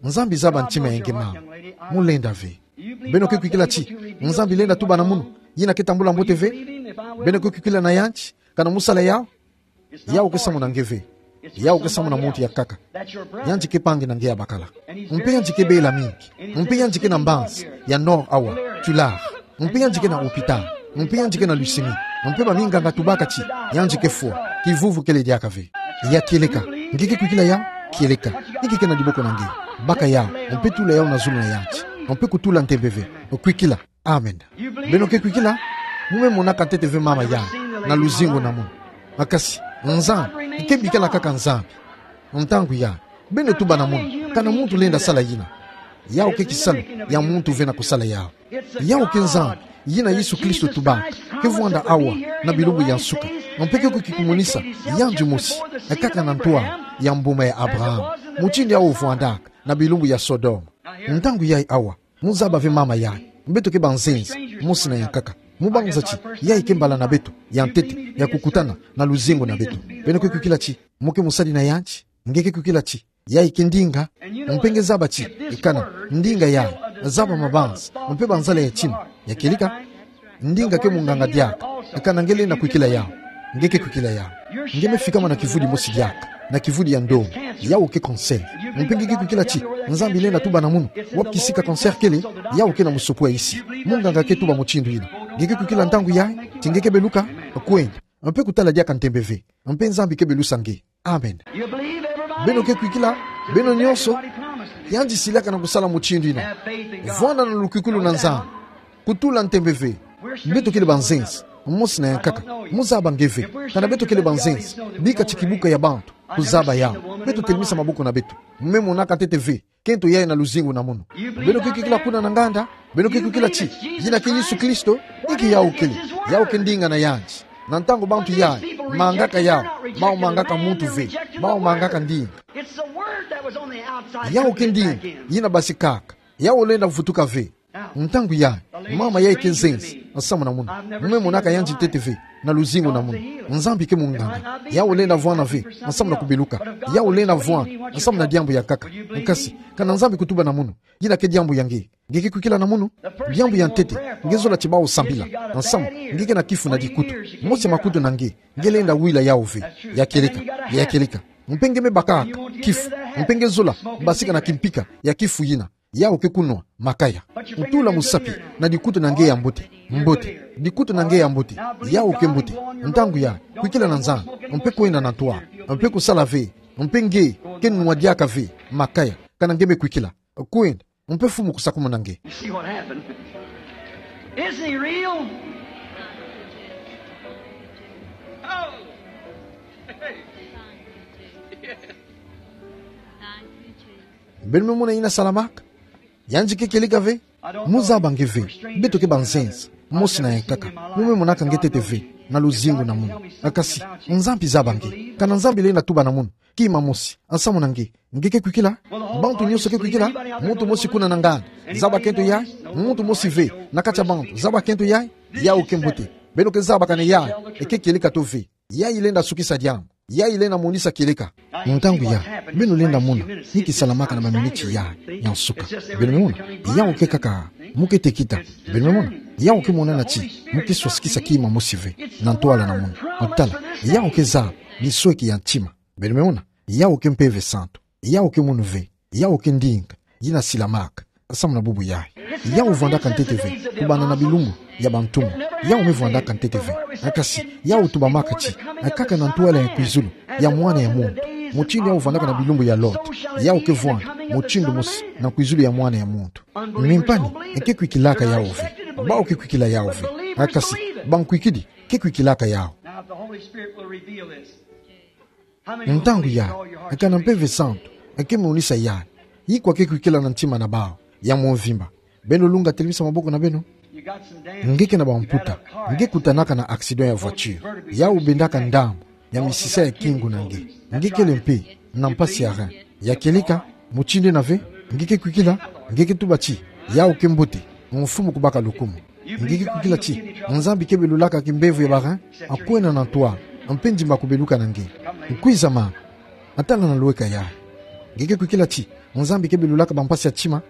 Nzambi zaba ntima ya nge mama. Mu lenda ve. Beno ke kwikila ti Nzambi lenda tuba na munu, yina ke tambula mbote ve? Beno ke kwikila na yanti, kana mu sala yawu? Yawu ke samu na nge ve. Yawu ke samu na muntu ya nkaka. Yanti ke mpangi na nge ya bakala. Mpe yanti ke bela mingi. Mpe yanti ke na mbanza ya nord awa, Tulare. Mpe yanti ke na hôpital. Mpe yanti ke na leucémie. Mpe baminganga tubaka ti yanti ke fwa, kivuvu kele diaka ve. Ya kieleka. Nge ke kwikila yawu? Kieleka. Inki ke na diboko na nge? Baka yawu. Mpe tula yawu na zulu na yanti. Mpe kutula ntembe ve. Kwikila. Amen. Beno ke kwikila? Mu me monaka ntete ve mama yayi na luzingu na munu. Kasi Nzambi ke bikala kaka Nzambi. Ntangu yayi, beno tuba na munu, kana muntu lenda sala yina. Yawu ke kisalu ya muntu ve na kusala yawu. Yawu ke Nzambi yina Yesu Kristo tubaka ke vwanda awa na bilumbu ya nsuka. Mpe ke kwiza kumonisa yandi mosi kaka na ntwala ya mbuma ya Abraham, mutindu yawu vwandaka na bilumbu ya Sodome. Ntangu yayi awa, mu zaba ve mama yayi, beto ke banzenza mosi na ya nkaka. Mu banza ti yayi ke mbala na beto ya ntete ya kukutana na luzingu na beto. Beno ke kwikila ti mu ke mosali na yandi? Nge ke kwikila ti yayi ke ndinga? Mpe nge zaba ti kana ndinga yayi zaba mabanza mpe banzala ya tima. Ya kieleka. Ndinga ke munganga diaka. Kana nge lenda kwikila yawu? Nge ke kwikila yawu? Nge me fikama na kivudi mosi diaka, na kivudi ya ndonga. Yawu ke cancer. Mpe nge ke kwikila ti Nzambi lenda tuba na munu, wapi kisika cancer kele? Yawu ke na musopo ya isi. Munganga ke tuba mutindu yina. Nge ke kwikila ntangu yayi ti nge ke beluka? Kwenda. Mpe kutala diaka ntembe ve. Mpe Nzambi ke belusa nge. Amen. Beno ke kwikila? Beno nyonso. Yandi silaka na kusala mutindu yina. Vwanda na lukikulu na Nzambi. Kutula ntembe ve. Beto kele banzenza mosi na ya nkaka. Mu zaba nge ve. Kana beto kele banzenza, bika ti kibuka ya bantu kuzaba yawu, beto telemisa maboko na beto. Mu me monaka ntete ve kento yayi na luzingu na munu. Beno ke kwikila kuna na nganda? Beno ke kwikila ti yina ke Yesu Kristo? Inki yawu kele? Yawu ke ndinga na yandi. Na ntangu bantu yayi mangaka yawu, bawu mangaka muntu ve. Bawu mangaka ndinga. Yawu ke ndinga yina basikaka. Yawu lenda vutuka ve. Ntangu yayi, mama yayi ke nzenza nsamu na munu. Mu me monaka yandi ntete ve na luzingu na munu. Nzambi ke munganga. Yawu lenda vwanda ve nsamu na kubeluka. Yawu lenda vwanda nsamu na diambu ya nkaka. Kasi kana Nzambi kutuba na munu, yina ke diambu ya nge. Nge ke kwikila na munu? Diambu ya ntete, nge zola ti bawu sambila nsamu. Nge ke na kifu na dikutu. Mosi ya makutu na nge, nge lenda wila yawu ve. Ya kieleka. Ya kieleka. Mpe nge me bakaka kifu. Mpe nge zola basika na kimpika ya kifu yina. Yawu ke kunwa makaya. Ntula musapi na dikutu na nge ya mbote. Mbote. Dikutu na nge ya mbote. Yawu ke mbote. Ntangu yayi, kwikila na Nzambi. Mpe kwenda na ntwala. Mpe kusala ve. Mpe nge ke nwa diaka ve makaya. Kana nge me kwikila. Kwenda. Mpe Mfumu kusakumuna nge. You see what happened? Isn't he real? Oh. Beno me mona yina salamaka? Yandi ke kieleka ve. Mu zaba nge ve. Beto ke banzenza mosi na ya nkaka. Mu me monaka nge ntete ve na luzingu na munu. Kasi Nzambi zaba nge. Kana Nzambi lenda tuba na munu kima mosi nsamu na nge, nge ke kwikila? Bantu nyonso ke kwikila? Muntu mosi kuna na nganda, zaba kento yayi? Muntu mosi ve na kati ya bantu, zaba kento yayi? Yawu ke mbote. Beno ke zaba kana yayi ke kieleka to ve. Yayi lenda sukisa diambu. Yayi lenda monisa kieleka. Ntangu yayi, beno lenda mona nki salamaka na baminiti yayi ya nsuka. Beno me mona? Yawu ke kaka, mu ke tekita. Beno me mona? Yawu ke monana ti mu ke swasikisa kima mosi ve na ntwala na munu. Tala, yawu ke zaba misweki ya ntima. Beno me mona? Yawu ke Mpeve Santu. Yawu ke munu ve. Yawu ke ndinga yina silamaka nsamu na bubu yayi. Yawu vwandaka ntete ve kubanda na bilumbu ya bantumwa. Yawu me vwandaka ntete ve. Kasi yawu tubamaka ti kaka na ntwala ya kwizulu ya Mwana ya muntu. Mutindu yawu vwandaka na bilumbu ya Lota, yawu ke vwanda mutindu mosi na kwizulu ya Mwana ya muntu. Mimpani ke kwikilaka yawu ve. Bawu ke kwikila yawu ve. Kasi Bankwikidi ke kwikilaka yawu. Now, if the Holy Spirit will reveal this. How many will Ntangu believe with ya, all your heart eka na Mpeve Santu eke monisa ya, ikwa ke kwikila na ntima na bawu ya mvimba? Beno lunga, telemisa maboko na beno. You got some damage. Nge ke na bamputa. You had a car accident. Nge kutanaka na accident ya voiture. Yawu bendaka ndambu ya misisa ya kingu na nge. Nge kele mpe na mpasi ya rein. Ya kieleka, mutindu ena ve? Nge ke kwikila? Nge ke tuba ti: Yawu ke mbote, Mfumu kubaka lukumu. Nge ke kwikila ti Nzambi ke belulaka kimbevo ya ba rein, akwenda na ntwala, mpe ndimba kubeluka na nge? Kwiza mama. Tala na luweka ya. Nge ke kwikila ti Nzambi ke belulaka bampasi ya tima?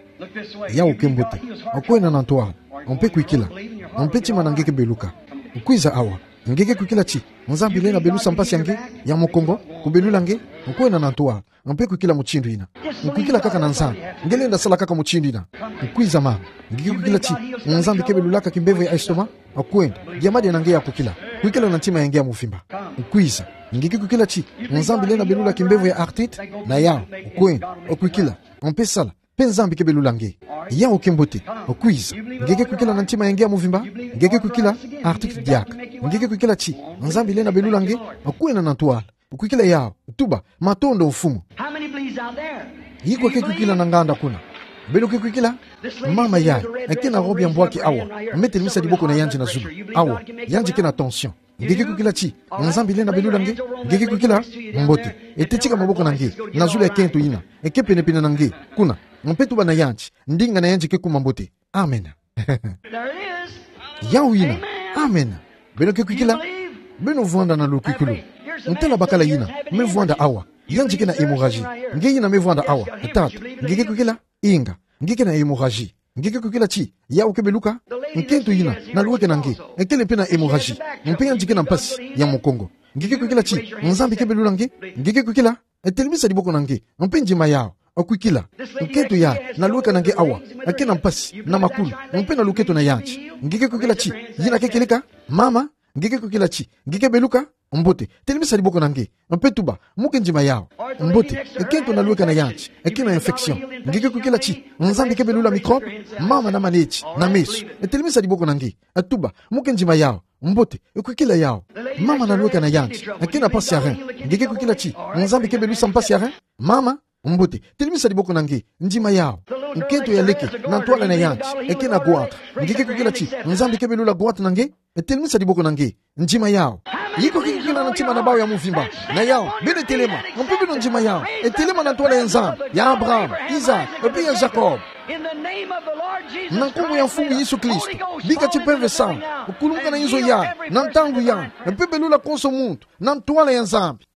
Yawu ke mbote, akwenda na ntwala, mpe kwikila, mpe tima na nge ke beluka. Kwiza awa. Nge ke kwikila ti Nzambi lenda belusa mpasi ya nge ya mukongo, kubelula nge, akwenda na ntwala, mpe kwikila mutindu yina. Kwikila kaka na Nzambi. Nge lenda sala kaka mutindu yina. Kwiza mama. Nge ke kwikila ti Nzambi ke belulaka kimbevo ya estomac? Akwenda. Diambu dia na nge ya kwikila. Kwikila na ntima ya nge ya mvimba. Kwiza. Nge ke kwikila ti Nzambi lenda belula kimbevo ya arthrite? Na yawu. Akwenda. Kwikila. Mpe sala. Mpe Nzambi ke belula nge. Yawu ke mbote. Kwiza. Nge ke kwikila na ntima ya nge ya mvimba? Nge ke kwikila? Arthrite diaka. Nge ke kwikila ti Nzambi lenda belula nge? Akwenda na ntwala. Kwikila yawu. Tuba: Matondo, Mfumu. How many believes out there? Ikwa ke kwikila na nganda kuna? Beno ke kwikila? Mama yayi, eke na robe ya mbwaki awa, me telemisa diboko na yandi na zulu. Awa, yandi ke na tension. Nge ke kwikila ti Nzambi lenda belula nge? Nge ke kwikila? Mbote. Ete tika maboko na nge na zulu ya kento yina eke penepene na nge kuna, mpe tuba na yandi: Ndinga na yandi ke kuma mbote. Amen. There it is. Yawu yina. Amen. Amen. Beno ke kwikila? Beno vwanda na lukwikulu. Ntala bakala yina me vwanda awa. Yandi ke na hémorragie. Nge yina me vwanda awa, tata, nge ke kwikila? Inga. Nge ke na hémorragie. Nge ke kwikila ti yawu ke beluka? Nkento yina na luweka na nge, ekele mpe na hémorragie, mpe yandi ke na mpasi ya mukongo. Nge ke kwikila ti Nzambi ke belula nge? Nge ke kwikila? Telemisa diboko na nge, mpe ndima yawu. Kwikila. Nkento yayi na luweka na nge awa, eke na mpasi na makulu, mpe na luketo na yandi. Nge ke kwikila ti yina ke kieleka? Mama, nge ke kwikila ti nge ke beluka? Mbote. Telemisa diboko na nge, mpe tuba: Mu ke ndima yawu. Mbote. Nkento na luweka na yandi, eke na infection. Nge ke kwikila ti Nzambi ke belula microbe? Mama na maneti na meso, telemisa diboko na nge, tuba: Mu ke ndima yawu. Mbote. Kwikila yawu. Mama na luweka na yandi, eke na mpasi ya rein. Nge ke kwikila ti Nzambi ke belusa mpasi ya rein? Mama. Mbote. Telemisa diboko na nge. Ndima yawu. Nkento ya leke na ntwala na yandi, eke na goitre. Nge ke kwikila ti Nzambi ke belula goitre na nge? Telemisa diboko na nge. Ndima yawu. Ikwa ke kwikila na ntima na bawu ya mvimba? Na yawu. Beno telema. Mpe beno ndima yawu. Telema na ntwala ya Nzambi ya Abraham, Isaac, mpe ya Jacob. Na nkumbu ya Mfumu Yesu Kristo, bika ti Mpeve Santu kulumuka na inzo yayi, na ntangu yayi, mpe belula konso muntu na ntwala ya Nzambi.